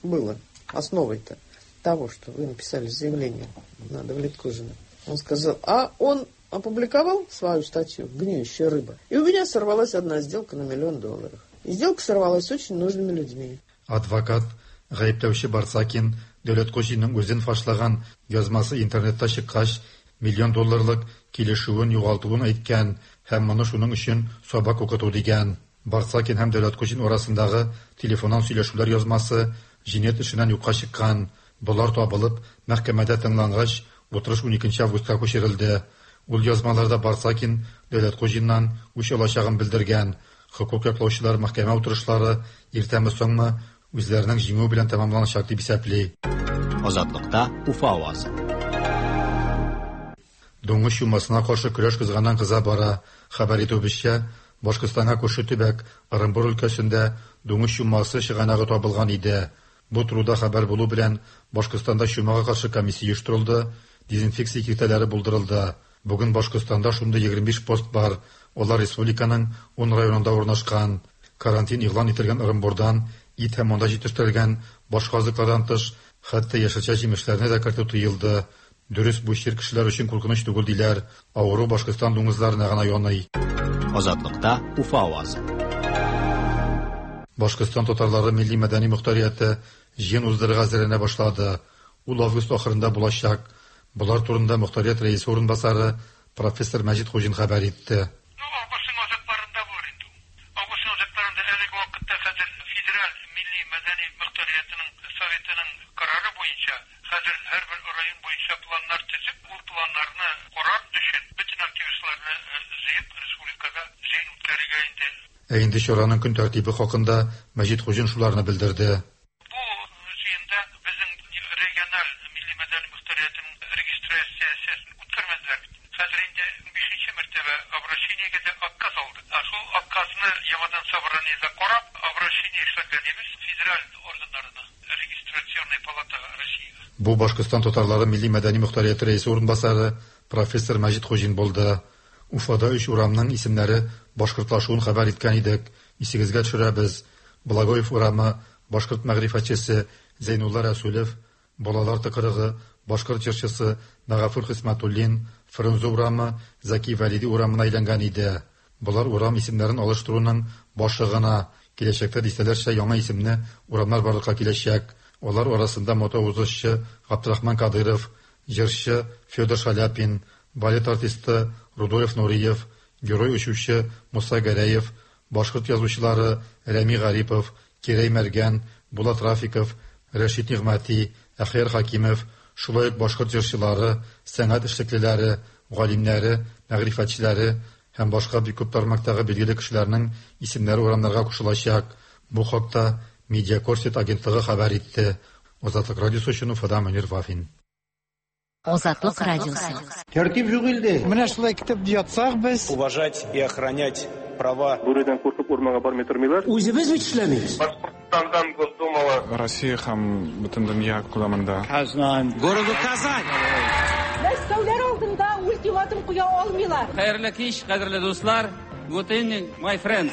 Speaker 18: было основой-то? того, что вы написали заявление на Давлеткужина? Он сказал, а он опубликовал свою статью «Гниющая рыба», и у меня сорвалась одна сделка на миллион долларов. И сделка сорвалась с очень нужными людьми.
Speaker 4: Адвокат гаепләүче Барсакин Дәүләткуҗинның үзен фашлаган язмасы интернетта чыккач, миллион долларлык килешүен югалтуын әйткән һәм моны шуның өчен сабак укыту дигән. Барсакин һәм Дәүләткуҗин арасындагы телефоннан сөйләшүләр язмасы җинаять эшеннән юкка чыккан. Болар табылып, мәхкәмәдә тыңлангач, утырыш 12 августка күчерелде. Ул язмаларда Барсакин Дәүләткуҗиннан үч алачагын белдергән. Хокук яклаучылар мәхкәмә утырышлары иртәме соңмы үзләренең җиңүе белән тәмамланачак дип исәпли.
Speaker 2: Азатлыкта Уфа авазы.
Speaker 4: Дуңгыз чумасына каршы көрәш кызганнан кыза бара. Хәбәр итүебезчә, Башкортстанга күрше төбәк Ырынбур өлкәсендә дуңгыз чумасы чыганагы табылган иде. Бу турыда хәбәр булу белән Башкортстанда чумага каршы комиссия оештырылды, дезинфекция киртәләре булдырылды. Бүген Башкортстанда шундый 25 пост бар. Алар республиканың 10 районында урнашкан. Карантин игълан ителгән Ырынбурдан ит һәм анда җитештерелгән башка азыклардан тыш, хәтта яшелчә-җимешләрне дә кертү тыелды. Дөрес, бу чир кешеләр өчен куркыныч түгел диләр. Авыру Башкортстан дуңгызларына гына яный.
Speaker 2: Азатлыкта Уфа авазы.
Speaker 4: Башкортстан татарлары милли-мәдәни мохтарияте җыен уздырырга әзерләнә башлады. Ул август ахырында булачак. Болар турында мохтарият рәисе урынбасары профессор Мәҗит Хуҗин хәбәр итте. Ә инде чараның көн тәртибе хакында Мәҗит Хуҗин шуларны белдерде. Бу Башкортстан татарлары милли-мәдәни мохтарияте рәисе урынбасары профессор Мәҗит Хуҗин булды. Уфада өч урамның исемнәре башкортлашуын хәбәр иткән идек. Исегезгә төшерәбез. Благоев урамы башкорт мәгърифәтчесе Зәйнулла Рәсүлев, Балалар тыкрыгы башкорт җырчысы Мәгафур Хисмәтуллин, Фрунзе урамы Зәки Вәлиди урамына әйләнгән иде. Болар урам исемнәрен алыштыруның башы гына. Киләчәктә дистәләрчә яңа исемле урамнар барлыкка киләчәк. Алар арасында мотоузышчы Габдрахман Кадыров, җырчы Федор Шаляпин, балет артисты Рудольф Нуриев, герой очучы Муса Гәрәев, башкорт язучылары Рәми Гарипов, Кирәй Мәргән, Булат Рафиков, Рәшит Нигъмәти, Әхияр Хәкимов, шулай ук башкорт җырчылары, сәнгать эшлеклеләре, галимнәре, мәгърифәтчеләре һәм башка бик күп тармактагы билгеле кешеләрнең исемнәре урамнарга кушылачак. Бу хакта Медиакорсет агентлыгы хәбәр итте. Азатлык радиосы өчен Уфадан Мөнир Вафин.
Speaker 11: Азатлык радиосы.
Speaker 19: Тәртип юк илдә. Менә шулай китеп ятсак без.
Speaker 20: Уважать и охранять права.
Speaker 21: Бүредән куркып урманга бармый тормыйлар.
Speaker 19: Үзебез бит эшләмибез.
Speaker 21: Башкортстандан Госдумага.
Speaker 22: Россия һәм бөтен дөнья күләмендә.
Speaker 19: Казань. Городу Казань.
Speaker 23: Мәскәүләр алдында ультиматум куя алмыйлар.
Speaker 24: Хәерле кич, кадерле дуслар. Good evening, my friends.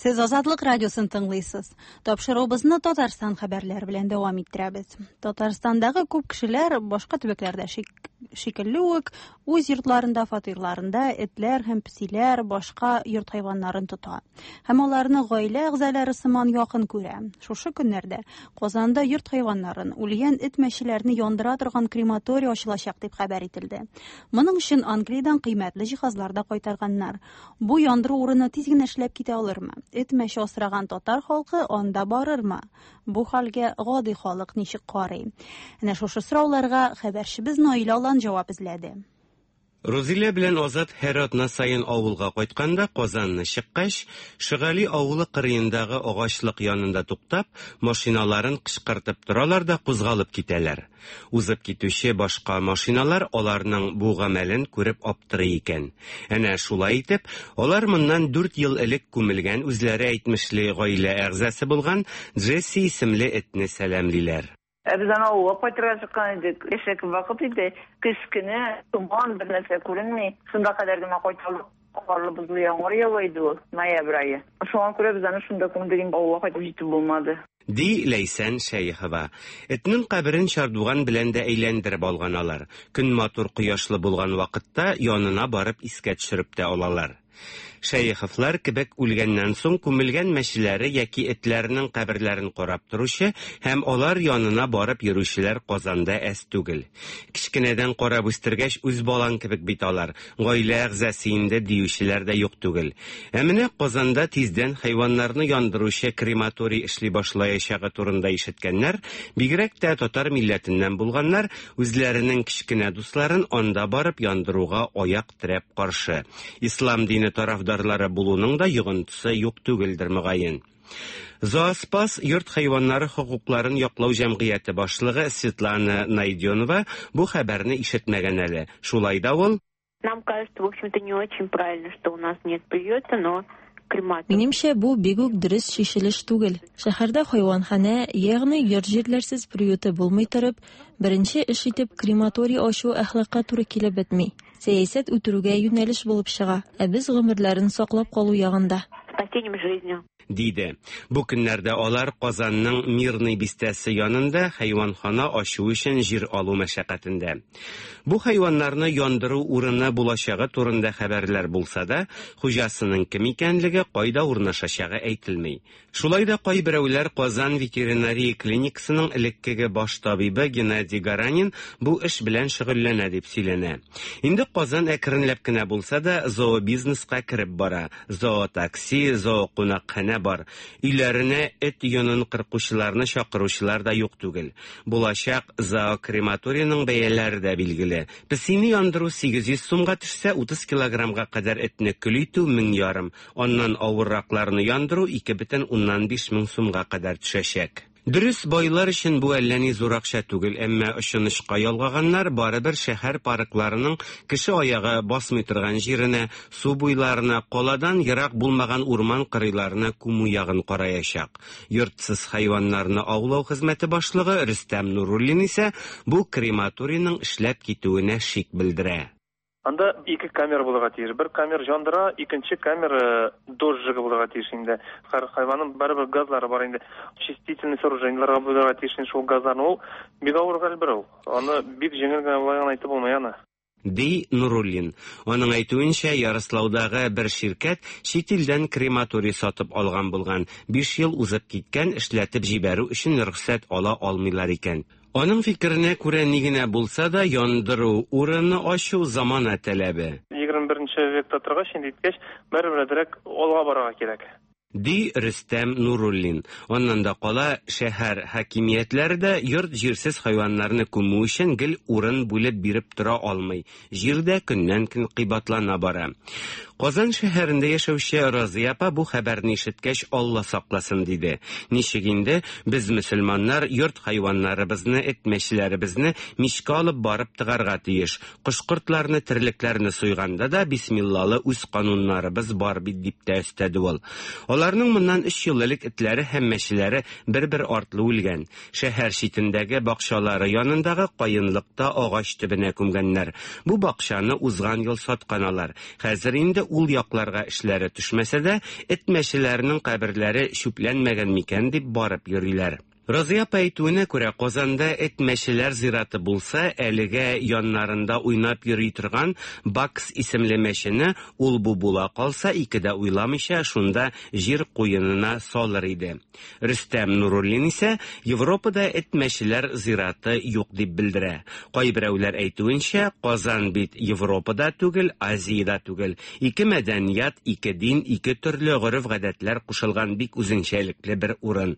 Speaker 1: Сез Азатлык радиосын тыңлыйсыз. Тапшыруыбызны Татарстан хәбәрләре белән дәвам иттерәбез. Татарстандагы күп кешеләр башка төбәкләрдә шикелле үк үз йортларында, фатирларында этләр һәм песиләр, башка йорт хайваннарын тота. Һәм аларны гаилә әгъзалары сыман якын күрә. Шушы көннәрдә Казанда йорт хайваннарын, үлгән эт-мәчеләрне яндыра торган крематорий ачылачак дип хәбәр ителде. Моның өчен Англиядән кыйммәтле җиһазлар да кайтарганнар. Бу яндыру урыны тиз генә эшләп китә алырмы? Эт-мәче асраган татар халкы анда барырмы? Бу хәлгә гади халык ничек карый? Әнә шушы сорауларга хәбәрчебез Наилә Алан җавап эзләде.
Speaker 25: Рузилә белән Азат һәр атна саен авылга кайтканда Казанны чыккач, Шыгали авылы кырыендагы агачлык янында туктап, машиналарын кычкыртып торалар да кузгалып китәләр. Узып китүче башка машиналар аларның бу гамәлен күреп аптырый икән. Әнә шулай итеп, алар моннан 4 ел элек күмелгән үзләре әйтмешли гаилә әгъзасы булган Джесси исемле этне сәламлиләр.
Speaker 3: Ә без аны авылга кайтырга чыккан идек. Әшәке вакыт иде. Көз көне, томан, бер нәрсә күренми. Шунда кадәр генә кайта алдык. Карлы-бозлы яңгыр ява иде ул, ноябрь ае. Шуңа күрә без аны шунда күмдек инде, авылга кайтып җитеп булмады.
Speaker 25: Ди Ләйсән Шәехова. Этнең каберен чардуган белән дә әйләндереп алган алар. Көн матур кояшлы булган вакытта янына барып искә төшереп тә алалар. Шәеховлар кебек үлгәннән соң күмелгән мәчеләре яки этләренең каберләрен карап торучы һәм алар янына барып йөрүчеләр Казанда әз түгел. Кечкенәдән карап үстергәч, үз балаң кебек бит алар, гаилә әгъзасы инде диючеләр дә юк түгел. Ә менә Казанда тиздән хайваннарны яндыручы крематорий эшли башлаячагы турында ишеткәннәр, бигрәк тә татар милләтеннән булганнар, үзләренең кечкенә дусларын анда барып яндыруга аяк терәп каршы. Ислам дине тарафдарлары булуның да йогынтысы юк түгелдер, мөгаен. Зооспас йорт хайваннары хокукларын яклау җәмгыяте башлыгы Светлана Найденова бу хәбәрне ишетмәгән әле. Шулай да ул
Speaker 5: Нам кажется, в общем-то, не очень правильно, что у нас нет приюта, но крематорий.
Speaker 6: Минемчә, бу бик үк дөрес чишелеш түгел. Шәһәрдә хайванханә, ягъни йорт-җирләрсез приюты булмый торып, беренче эш итеп крематорий ачу әхлакка туры килеп бетми. Сәясәт үтерүгә юнәлеш булып чыга, ә без гомерләрен саклап калу ягында.
Speaker 5: Спасением жизни.
Speaker 25: Диде. Бу көннәрдә алар Казанның Мирный бистәсе янында хайванхана ачу өчен җир алу мәшәкатендә. Бу хайваннарны яндыру урыны булачагы турында хәбәрләр булса да, хуҗасының кем икәнлеге, кайда урнашачагы әйтелми. Шулай да кайберәүләр Казан ветеринария клиникасының элеккеге баш табибы Геннадий Гаранин бу эш белән шөгыльләнә дип сөйләнә. Инде Казан әкренләп кенә булса да зообизнеска кереп бара. Зоотакси, зоокунакханә бар. Өйләренә эт йонын кыркучыларны чакыручылар да юк түгел. Булачак зоокрематорийның бәяләре дә билгеле. Песине яндыру 800 сумга төшсә, 30 килограммга кадәр этне көл итү 1500, аннан авырракларны яндыру 2,5 мең сумга кадәр төшәчәк. Дөрес, байлар өчен бу әллә ни зур акча түгел, әмма очын очка ялгаганнар барыбер шәһәр паркларының кеше аягы басмый торган җиренә, су буйларына, каладан ерак булмаган урман кырыйларына күмү ягын караячак. Йортсыз хайваннарны аулау хезмәте башлыгы Рөстәм Нуруллин исә бу крематорийның эшләп китүенә шик белдерә.
Speaker 21: Анда ике камера булырга тиеш. Бер камера яндыра, икенче камера дожжигы булырга тиеш инде. Һәр хайванның барыбер газлары бар инде. Очистительный сооружениеларга булырга тиеш инде шул газларны. Ул бик авыр хәл бер ул. Аны бик җиңел генә болай гына әйтеп булмый аны.
Speaker 25: Ди Нуруллин. Аның әйтүенчә, Ярослаудагы бер ширкәт чит илдән крематорий сатып алган булган. 5 ел узып киткән, эшләтеп җибәрү өчен рөхсәт ала алмыйлар икән. Аның фикеренә күрә, ни генә булса да, яндыру урыны ачу замана таләбе.
Speaker 21: 21 векта торгач, инде иткәч, барыбер әзрәк алга барырга кирәк.
Speaker 25: Ди Рөстәм Нуруллин. Аннан да кала, шәһәр хакимиятләре дә йорт-җирсез хайваннарны күмү өчен гел урын бүлеп биреп тора алмый. Җир дә көннән-көн кыйбатлана бара. Казан шәһәрендә яшәүче Разия апа бу хәбәрне ишеткәч, Алла сакласын, диде. Ничек инде без мөселманнар йорт хайваннарыбызны, эт-мәчеләребезне мичкә алып барып тыгарга тиеш. Кош-кортларны, терлекләрне суйганда да бисмиллалы үз кануннарыбыз бар бит, дип тә өстәде ул. Аларның моннан 3 ел элек этләре һәм мәчеләре бер-бер артлы үлгән. Шәһәр читендәге бакчалары янындагы каенлыкта агач төбенә күмгәннәр. Бу бакчаны узган ел саткан алар. Хәзер инде ул якларга эшләре төшмәсә дә, эт-мәчеләренең каберләре чүпләнмәгән микән дип барып йөриләр. Разия апа әйтүенә күрә, Казанда эт-мәчеләр зираты булса, әлегә яннарында уйнап йөри торган Бакс исемле мәчене ул-бу була калса, ике дә уйламыйча шунда җир куенына салыр иде. Рөстәм Нуруллин исә Европада эт-мәчеләр зираты юк дип белдерә. Кайберәүләр әйтүенчә, Казан бит Европада түгел, Азиядә түгел. Ике мәдәният, ике дин, ике төрле гореф-гадәтләр кушылган бик үзенчәлекле бер урын.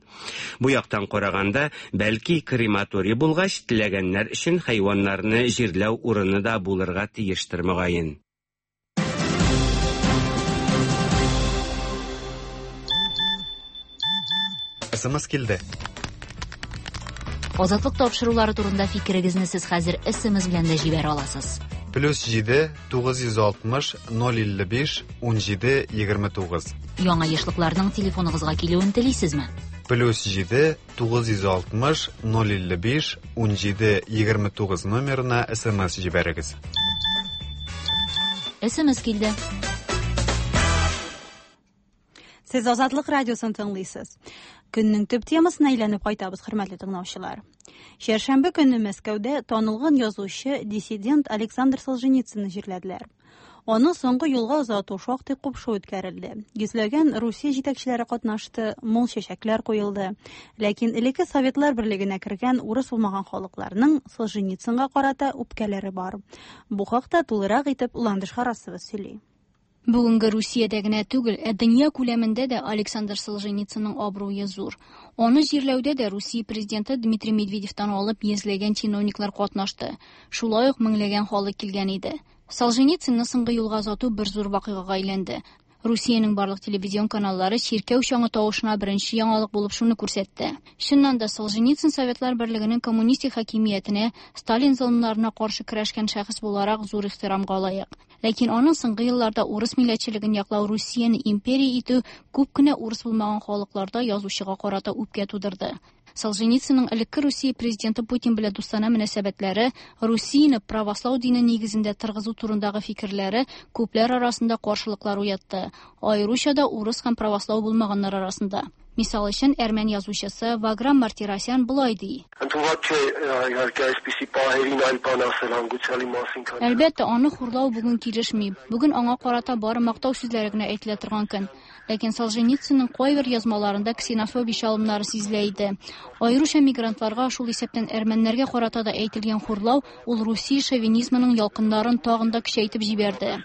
Speaker 25: Бу яктан караганда, бәлки крематорий булгач, теләгәннәр өчен хайваннарны җирләү урыны да булырга тиештер, мөгаен.
Speaker 7: СМС килде.
Speaker 11: Азатлык тапшырулары турында фикерегезне сез хәзер СМС белән дә җибәрә аласыз.
Speaker 7: Плюс 7 960 055 17 29.
Speaker 11: Яңа ешлыкларның телефоныгызга килүен телисезме?
Speaker 7: Плюс 7 960 055 17 29 номерына смс җибәрегез.
Speaker 11: СМС килде.
Speaker 1: Сез Азатлык радиосын тыңлыйсыз. Көннең төп темасына әйләнеп кайтабыз, хөрмәтле тыңлаучылар. Чәршәмбе көнне Мәскәүдә танылган язучы, диссидент Александр Солженицынны җирләделәр. Аны соңгы юлга озату шактый купшы үткәрелде. Йөзләгән Русия җитәкчеләре катнашты, мул чәчәкләр куелды. Ләкин элекке Советлар берлегенә кергән урыс булмаган халыкларның Солженицынга карата үпкәләре бар. Бу хакта тулырак итеп Ландыш Харасова сөйли.
Speaker 8: Бүгенге Русиядә генә түгел, ә дөнья күләмендә дә Александр Солженицынның абруе зур. Аны җирләүдә дә Русия президенты Дмитрий Медведевтан алып йөзләгән чиновниклар катнашты. Шулай ук меңләгән халык килгән иде. Солженицынны соңгы юлга озату бер зур вакыйгага әйләнде. Русиянең барлык телевизион каналлары чиркәү чаңы тавышына беренче яңалык булып шуны күрсәтте. Чыннан да Солженицын Советлар Берлегенең коммунистик хакимиятенә, Сталин золымнарына каршы көрәшкән шәхес буларак зур ихтирамга лаек. Ләкин аның соңгы елларда урыс милләтчелеген яклау Русияне империя итү күп кенә урыс булмаган халыкларда язучыга карата үпкә тудырды. Солженицынның элекке Русия президенты Путин белән дустанә мөнәсәбәтләре, Русияне правослау дине нигезендә торгызу турындагы фикерләре күпләр арасында каршылыклар уятты, аеруча да урыс һәм правослау булмаганнар арасында. Мисал өчен, әрмән язучысы Ваграм Мартиросян болай ди. Әлбәттә, аны хурлау бүген килешми. Бүген аңа карата бары мактау сүзләре генә әйтелә торган көн. Ләкин Солженицынның кайбер язмаларында ксенофобия чалымнары сизелә иде. Аеруча мигрантларга, шул исәптән әрмәннәргә карата да әйтелгән хурлау ул Русия шовинизмының ялкыннарын тагын да көчәйтеп җибәрде.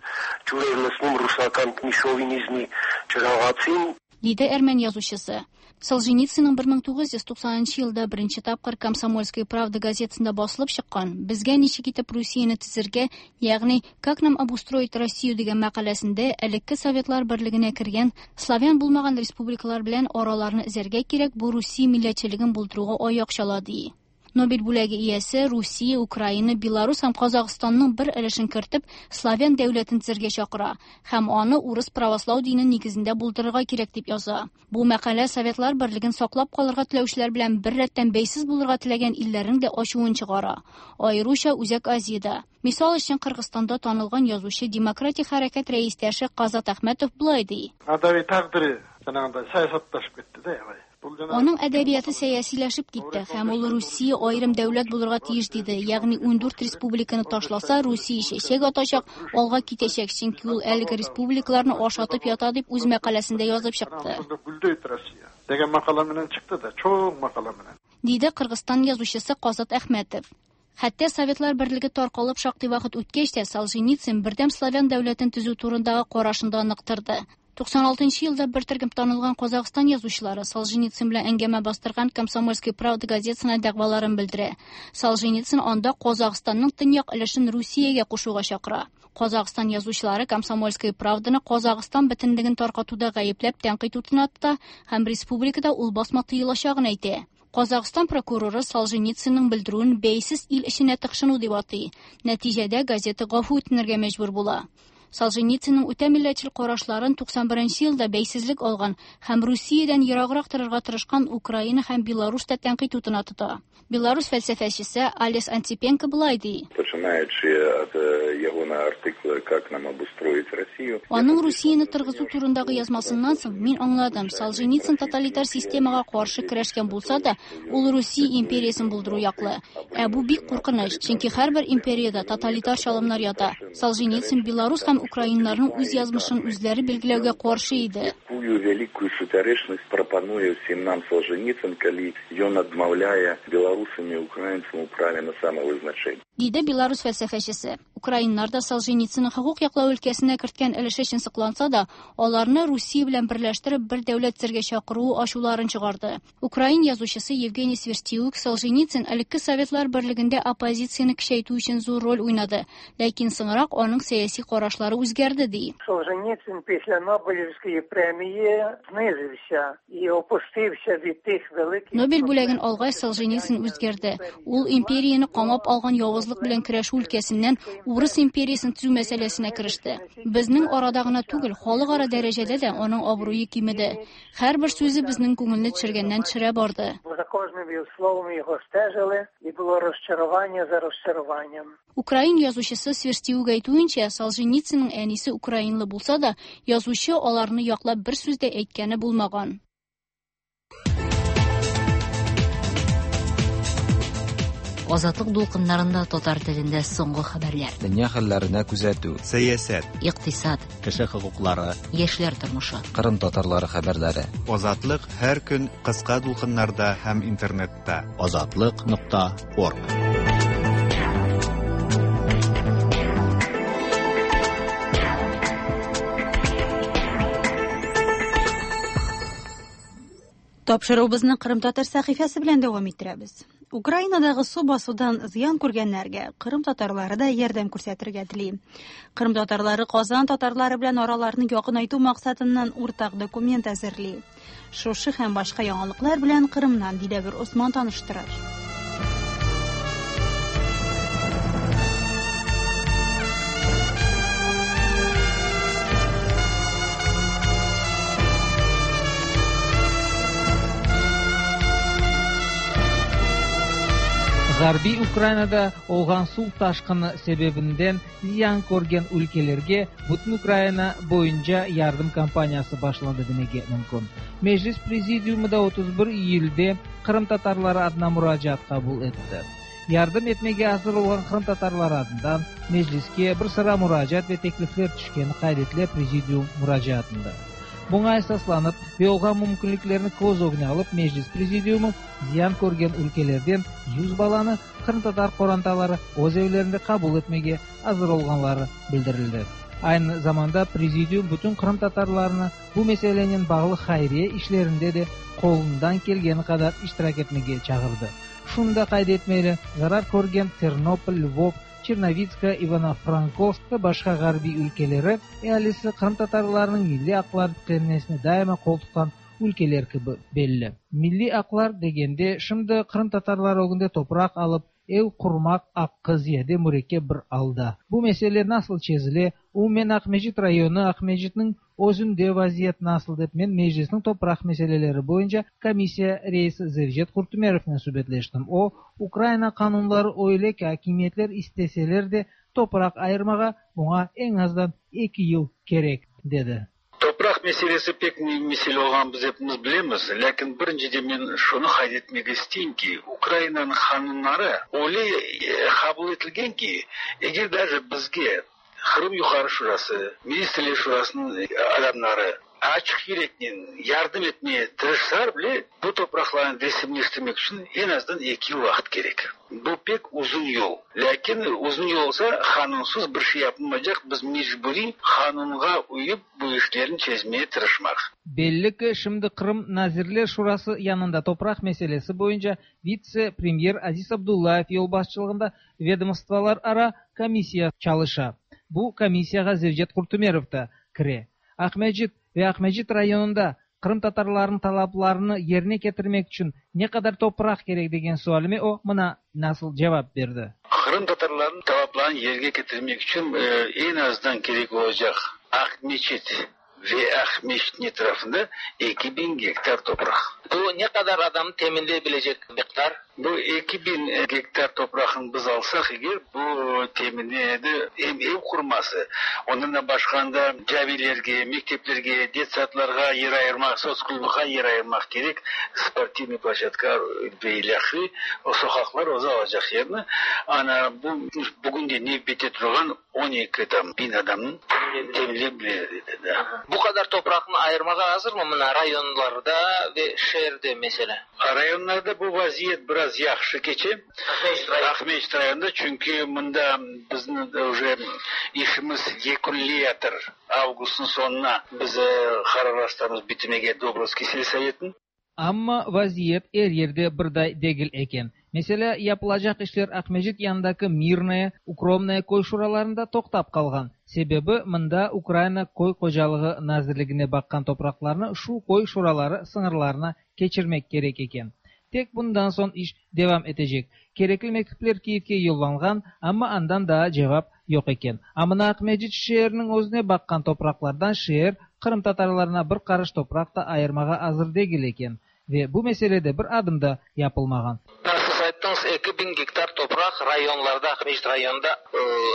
Speaker 8: Диде әрмән язучысы. Солженицынның 1990 елда беренче тапкыр Комсомольская правда газетасында басылып чыккан «Безгә ничек итеп Русияне төзергә, ягъни «Как нам обустроить Россию» дигән мәкаләсендә элекке Советлар берлегенә кергән славян булмаган республикалар белән араларны өзәргә кирәк, бу Русия милләтчелеген булдыруга аяк чала ди. Нобель бүләге иясе Русия, Украина, Беларусь һәм Казахстанның бер өлешен кертеп, славян дәүләтен төзергә чакыра һәм аны урыс правослау дине нигезендә булдырырга кирәк дип яза. Бу мәкалә Советлар берлеген саклап калырга теләүчеләр белән бер рәттән бәйсез булырга теләгән илләрнең дә ачуын чыгара. Аеруча Үзәк Азиядә. Мисал өчен, Кыргызстанда танылган язучы, демократик хәрәкәт рәистәше Казат Әхмәтов болай ди.
Speaker 9: Әдәби тәкъдире жанагындай саясатташып кетти да аябай.
Speaker 8: Аның әдәбияты сәясиләшеп китте һәм ул Русия аерым дәүләт булырга тиеш диде. Ягъни 14 республиканы ташласа, Русия чәчәк атачак, алга китәчәк, чөнки ул әлеге республикаларны ашатып ята дип үз мәкаләсендә язып чыкты.
Speaker 9: Гүлдөйт Россия деген макала менен чыкты да, чоң макала менен.
Speaker 8: Диде Кыргызстан язучысы Казат Әхмәтов. Хәтта Советлар берлеге таркалып шактый вакыт үткәч тә Солженицын бердәм славян дәүләтен төзү турындагы карашын да ныктырды. 96 елда бер төркем танылган Казахстан язучылары Солженицын белән әңгәмә бастырган Комсомольская правда газетасына дәгъваларын белдерә. Солженицын анда Казахстанның төньяк өлешен Русиягә кушуга чакыра. Казахстан язучылары Комсомольская правданы Казахстан бөтенлеген таркатуда гаепләп тәнкыйть утына тота һәм республикада ул басма тыелачагын әйтә. Казахстан прокуроры Солженицынның белдерүен бәйсез ил эшенә тыкшыну дип атый. Нәтиҗәдә газета гафу үтенергә мәҗбүр була. Солженицынның үтә милләтчел карашларын 91 елда бәйсезлек алган һәм Русиядән ераграк торырга тырышкан Украина һәм Беларусь та тәнкыйть утына тота. Беларусь фәлсәфәчесе Алес Антипенко болай ди. Аның Русияне торгызу турындагы язмасыннан соң мин аңладым, Солженицын тоталитар системага каршы көрәшкән булса да, ул Русия империясын булдыру яклы. Ә бу бик куркыныч, чөнки һәрбер империядә тоталитар чалымнар ята. Солженицын Беларусь һәм украиннарның үз язмышын үзләре билгеләүгә каршы иде.
Speaker 10: Якую вялікую супярэчнасць прапануе ўсім нам Солженицын, калі ён адмаўляе беларусам і украінцам у праве на самавызначэнне.
Speaker 8: Диде Беларусь фәлсәфәчесе. Украиннар да Солженицынның хокук яклау өлкәсенә керткән өлеше өчен сокланса да, аларны Русия белән берләштереп бер дәүләт төзергә чакыруы ачуларын чыгарды. Украин язучысы Евгений Сверстюк Солженицын элекке Советлар берлегендә оппозицияне көчәйтү өчен зур роль уйнады, ләкин соңрак аның сәяси карашлары үзгәрде ди.
Speaker 13: Солженицин після Нобелівської премії знизився і опустився від тих великих
Speaker 8: Нобель бүләген алгач Солженицын үзгәрде. Ул империяне камап алган явызлык белән көрәшү өлкәсеннән урыс империясен төзү мәсьәләсенә кереште. Безнең арада гына түгел, халыкара дәрәҗәдә дә аның абруе кимеде. Һәрбер сүзе безнең күңелне төшергәннән төшерә барды.
Speaker 13: За кожним його словом його стежили, і було розчарування за розчаруванням.
Speaker 8: Украин язучысы Сверстиук әйтүенчә, Солженицынның әнисе украинлы булса да, язучы аларны яклап бер сүз дә әйткәне булмаган.
Speaker 11: Азатлык дулкыннарында татар телендә соңгы хәбәрләр.
Speaker 12: Дөнья хәлләренә күзәтү.
Speaker 7: Сәясәт.
Speaker 11: Икътисад.
Speaker 2: Кеше хокуклары.
Speaker 11: Яшьләр тормышы.
Speaker 12: Кырым татарлары хәбәрләре.
Speaker 7: Азатлык һәр көн кыска дулкыннарда һәм интернетта.
Speaker 2: Азатлык.орг.
Speaker 1: Тапшыруыбызны Кырым татар сәхифәсе белән дәвам иттерәбез. Украинадагы су басудан зыян күргәннәргә Кырым татарлары да ярдәм күрсәтергә тели. Кырым татарлары Казан татарлары белән араларны якынайту максатыннан уртак документ әзерли. Шушы һәм башка яңалыклар белән Кырымнан Диләвер Осман таныштырыр.
Speaker 14: Ğarbiy Ukrainada olğan suv taşqını sebebinden ziyan körgen ülkelerge bütün Ukraina boyunca yardım kampaniyası başlandı demege mümkün. Meclis Prezidiumı da 31 iyülde qırımtatarları adına muracaat qabul etti. Yardım etmege azır olğan qırımtatarları adından Mecliske bir sıra muracaat ve teklifler tüşkeni qayd etile Prezidium muracaatında. Buña esaslanıp ve olğan mümkünliklerni köz ögüne alıp Meclis Prezidiumı ziyan körgen ülkelerden 100 balanı qırımtatar qorantaları öz evlerinde qabul etmege azır olğanları bildirildi. Aynı zamanda Prezidium bütün qırımtatarlarını bu meselenen bağlı hayriye işlerinde de qolundan kelgeni qadar iştirak etmege çağırdı. Şunı da qayd etmeli, zarar körgen Ternopol, Lvov, Çernovitska, İvano-Frankovsk ve başqa ğarbiy ülkeleri ealisi qırımtatarlarnıñ milliy aqları tiklenmesine daima qol tutqan ülkeler kibi belli. Milliy aqlar degende, şimdi qırımtatarlar ögünde topraq alıp, ev qurmaq aqqı ziyade mürekkep bir alda. Bu mesele nasıl çezile, umumen Aqmescit rayonı, Aqmescitniñ özünde vaziyet nasıl dep men Meclisniñ topraq meseleleri boyunca komissiya reisi Zevcet Qurtümerovnen subetleştim. O, Ukraina qanunları öyle ki, akimiyetler isteseler de topraq ayırmağa buña eñ azdan eki yıl kerek, dedi.
Speaker 15: Topraq meselesi pek müim mesele olğanın biz epimiz bilemiz, lâkin birinciden men şunı qayd etmege isteyim ki, Ukrainanıñ qanunları öyle qabul etilgen ki, eger daje bizge Qırım Yuqarı Şurası, Ministrler Şurasınıñ adamları açıq yüreknen yardım etmege tırışsalar bile, bu topraqlarnı resimleştirmek içün eñ azdan eki yıl vaqıt kerek. Bu pek uzun yol. Lâkin uzun yol olsa, qanunsız bir şey yapılmaycaq, biz mecburiy qanunğa uyıp bu işlerni çezmege tırışmaq.
Speaker 14: Belli ki, şimdi Qırım Nazirler Şurası yanında topraq meselesi boyunca vitse-premyer Aziz Abdullayev yolbaşçılığında vedomstvolarara komissiya çalışa. Bu komissiyağa Zevcet Qurtümerov da kire. Aqmescit ve Aqmescit rayonında qırımtatarlarnıñ talaplarını yerine ketirmek içün ne qadar topraq kerek degen sualime o mına nasıl cevap berdi.
Speaker 15: Qırımtatarlarnıñ talaplarını yerge ketirmek içün eñ azdan kerek olacaq Aqmeçit ve Aqmescitniñ etrafında 2000 gektar topraq.
Speaker 16: Bu ne qadar adamnı teminley bilecek miqdar?
Speaker 15: Bu 2000 gektar topraqnı biz alsaq eger, bu teminledi em ev qurması, ondan da başqa anda camilerge, mekteplerge, detsadlarğa yer ayırmaq, sotsklubğa yer ayırmaq kerek, sportivnıy ploşçadka ve ilâhre, o soqaqlar özü alacaq yerni. Ana, bu bugün de nevbette turğan 12 tam biñ adamnı teminley bilir edi, da.
Speaker 16: Bu qadar topraqnı ayırmağa azırmı mına rayonlarda ve şeerde, meselâ?
Speaker 15: Rayonlarda bu vaziyet biraz yahşı keçe, Aqmescit rayonında, çünki mında bizni uje işimiz yekünleyatır, avgustnıñ soñuna biz qararlaştıramız bitirmege Dobrovskiy selsovetini.
Speaker 14: Amma vaziyet er yerde birday degil eken. Meselâ, yapılacaq işler Aqmescit yanındaki Mirnoye, Ukromnoye köy şuralarında toqtap qalğan. Sebebi, mında Ukraina köy hocalığı nazirligine baqqan topraqlarnı şu köy şuraları sıñırlarına keçirmek kerek eken. Tek bundan soñ iş devam etecek. Kerekli mektüpler Kiyevge yollanğan, amma andan daa cevap yoq eken. A mına Aqmescit şeeriniñ özüne baqqan topraqlardan şeer qırımtatarlarına bir qarış topraq da ayırmağa azır degil eken. Ve bu meselede bir adım da yapılmağan.
Speaker 16: Siz ayttıñız, 2000 gektar topraq rayonlarda, Aqmescit rayonında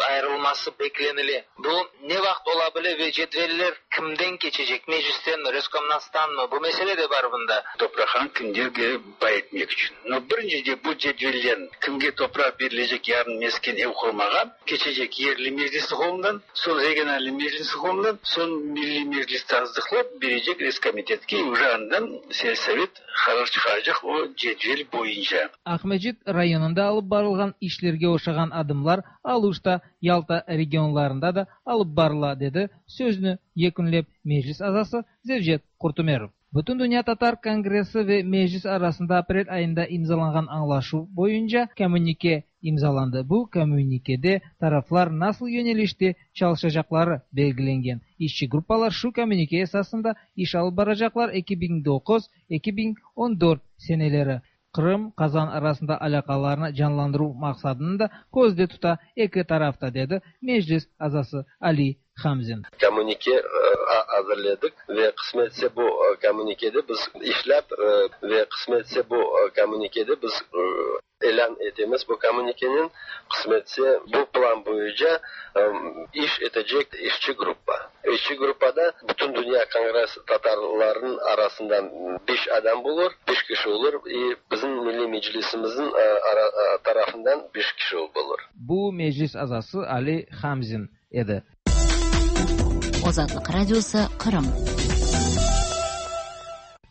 Speaker 16: ayırılması beklenile. Bu ne vaqıt ola bile ve cedveller kimden keçecek, Meclistenmi, Reskomnatstanmı? Bu mesele de bar bunda.
Speaker 15: Topraqnı kimlerge pay etmek içün. No, birincide bu cedvellerni, kimge topraq berilecek yarın mesken ev qurmağa, keçecek yerli meclisniñ qolundan, soñ regionalnıy meclisniñ qolundan, soñ Milliy Meclis tasdıqlap berecek Reskomitetke, uje andan selsovet qarar çıqaracaq o cedvel boyunca.
Speaker 14: Aqmescit rayonında alıp barılğan işlerge oşağan adımlar Aluşta, Yalta regionlarında da alıp barıla, dedi sözüni yekünlep Meclis azası Zevcet Qurtümerov. Bütündünya tatar kongressi ve Meclis arasında aprel ayında imzalanğan añlaşuv boyunca komünike imzalandı. Bu komünikede taraflar nasıl yönelişte çalışacaqları belgilengen. İşçi gruppalar şu komünike esasında iş alıp baracaqlar 2009, 2014 seneleri. Qırım, Qazan arasında alâqalarnı canlandıruv maqsadını da közde tuta eki taraf da, dedi Meclis azası Ali Hamzin.
Speaker 4: Komünike azırledik ve qısmetse bu komünikede biz işlep ve qısmetse bu komünikede biz ilân etemiz bu komünikenen, qısmetse bu plan boyunca iş etecek işçi gruppa. İşçi gruppada Bütündünya kongress tatarlarınıñ arasından beş adam olur, beş kişi olur, i bizim Milliy Meclisimizniñ tarafından beş kişi olur.
Speaker 14: Bu Meclis azası Ali Hamzin edi.
Speaker 11: Azatlıq Radiosı, Qırım.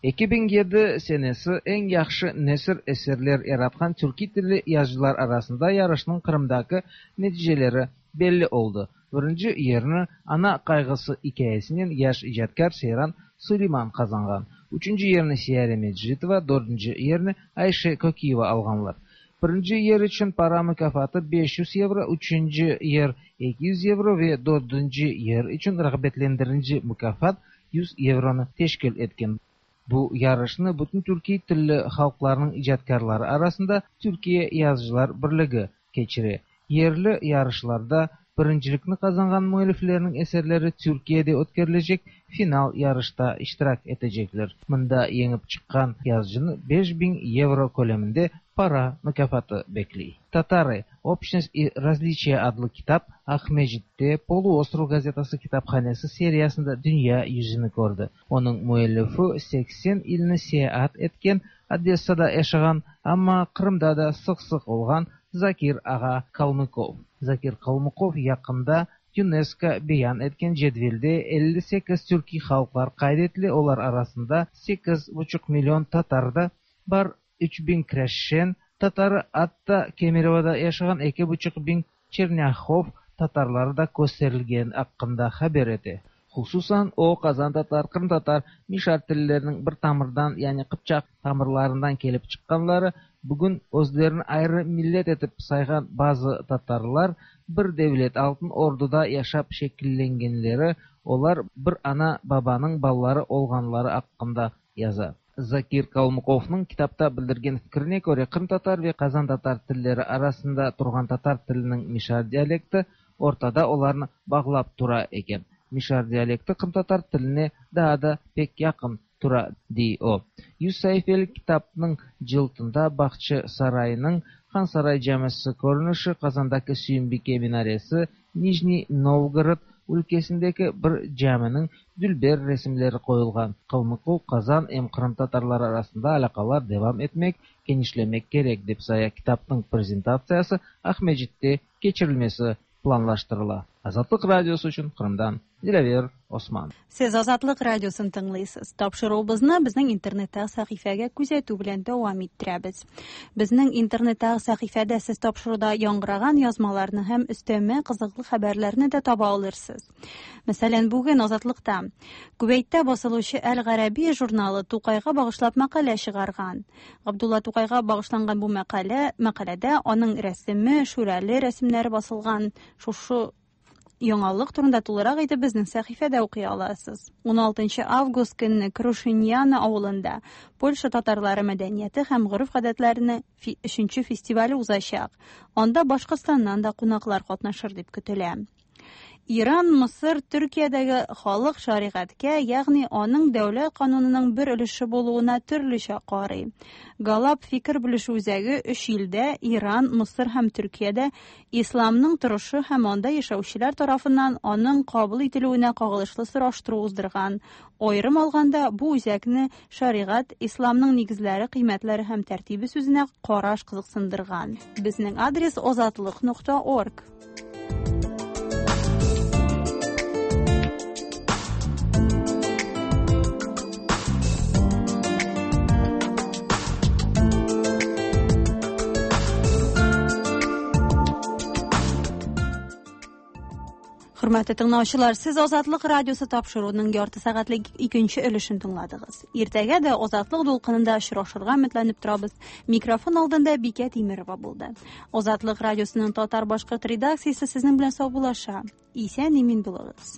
Speaker 14: 2007 senesi eñ yahşı nesir eserler yaratqan türkiy tilli yazıcılar arasında yarışnıñ Qırımdaki neticeleri belli oldı. Birinci yerni Ana qayğısı ikâyesinen yaş icatkâr Seyran Suleyman qazanğan. Üçünci yerni Siyare Mecitova, dördünci yerni Ayşe Kökiyeva alğanlar. Birinci yer içün para mukâfatı 500 yevro, üçünci yer 200 yevro ve dördünci yer içün rağbetlendirinci mukâfat 100 yevronı teşkil etken. Bu yarışnı bütün türkiy tilli halqlarnıñ icatkârları arasında Türkiye yazıcılar birligi keçire. Yerli yarışlarda birincilikni qazanğan müelliflerniñ eserleri Türkiyede ötkerilecek final yarışta iştirak etecekler. Mında yeñip çıqqan yazıcını 5000 yevro köleminde para mukâfatı bekley. Tatarı, Общность и razliçiya adlı kitap Aqmescitte Poluostrov gazetası kitaphanesi seriyasında dünya yüzüni kördi. Onıñ müellifi 80 ilni seyaat etken, Odessada yaşağan, amma Qırımda da sıq-sıq olğan Zakir ağa Kalmıkov. Zakir Kalmıkov yaqında YUNESKO beyan etken cedvelde 58 türkiy halqlar qayd etile, olar arasında sekiz buçuq million tatar da bar, 3000 krâşen tatarı, atta Kemerovoda yaşağan 2500 çernâhov tatarları da kösterilgeni aqqında haber ete. Hususan, o, qazantatar, qırımtatar, mişar tilleriniñ bir tamırdan, yani qıpçaq tamırlarından kelip çıqqanları, bugün özlerini ayrı millet etip sayğan bazı tatarlar bir devlet, Altın Orduda yaşap şekillengenleri, olar bir ana-babanıñ balaları olğanları aqqında yaza. Zakir Kalmıkovnıñ kitapta bildirgen fikrine köre, qırımtatar ve qazantatar tilleri arasında turğan tatar tiliniñ mişar dialekti ortada olarnı bağlap tura eken. Mişar dialekti qırımtatar tiline daa da pek yaqın tura, dey o. 100 saifelik kitapnıñ cıltında Bağçasaraynıñ Hansaray camisi körünişi, Qazandaki Süyümbike minaresi, Nijniy Novgorod ülkesindeki bir caminiñ dülber resimleri qoyulğan. Kalmıkov qazan em qırımtatarlar arasında alâqalar devam etmek, kenişlemek kerek, dep saya. Kitapnıñ prezentatsiyası Aqmescitte keçirilmesi planlaştırıla. Azatlıq Radiosı içün Qırımdan Dilâver Osman.
Speaker 1: Siz Azatlıq Radiosın тыңлыйсыз. Тапшыруыбызны безнең интернеттагы сәхифәгә күзәтү белән дәвам иттерәбез. Безнең интернеттагы сәхифәдә сез тапшыруда яңгыраган язмаларны һәм өстәмә кызыклы хәбәрләрне дә таба алырсыз. Мәсәлән, бүген Азатлыкта Күвәйттә басылучы Әл-Гарәби журналы Тукайга багышлап мәкалә чыгарган. Габдулла Тукайга багышланган бу мәкалә, мәкаләдә аның рәсеме, шүрәле рәсемнәре басылган. Шушы Яңалык турында тулырак итеп безнең сәхифәдә укый аласыз. 16 август көнне Крушиньяна авылында Польша татарлары мәдәнияте һәм гореф-гадәтләренең өченче фестивале узачак. Анда Башкортстаннан да кунаклар катнашыр дип көтелә. Иран, Мысыр, Төркиядәге халык шәригатькә, ягъни аның дәүләт канунының бер өлеше булуына төрлечә карый. Галап фикер белешү үзәге өч илдә Иран, Мысыр һәм Төркиядә исламның торышы һәм анда яшәүчеләр тарафыннан аның кабул ителүенә кагылышлы сораштыру уздырган. Аерым алганда, бу үзәкне шәригать, исламның нигезләре, кыйммәтләре һәм тәртибе сүзенә караш кызыксындырган. Безнең адрес озатлык.орг. Хөрмәтле тыңлаучылар, сез Азатлык радиосы тапшыруының ярты сәгатьлек икенче өлешен тыңладыгыз. Иртәгә дә Азатлык дулкынында очрашырга өметләнеп торабыз. Микрофон алдында Бикә Тимерова булды. Азатлык радиосының татар-башкорт редакциясе сезнең белән саубуллаша. Исән имин булыгыз.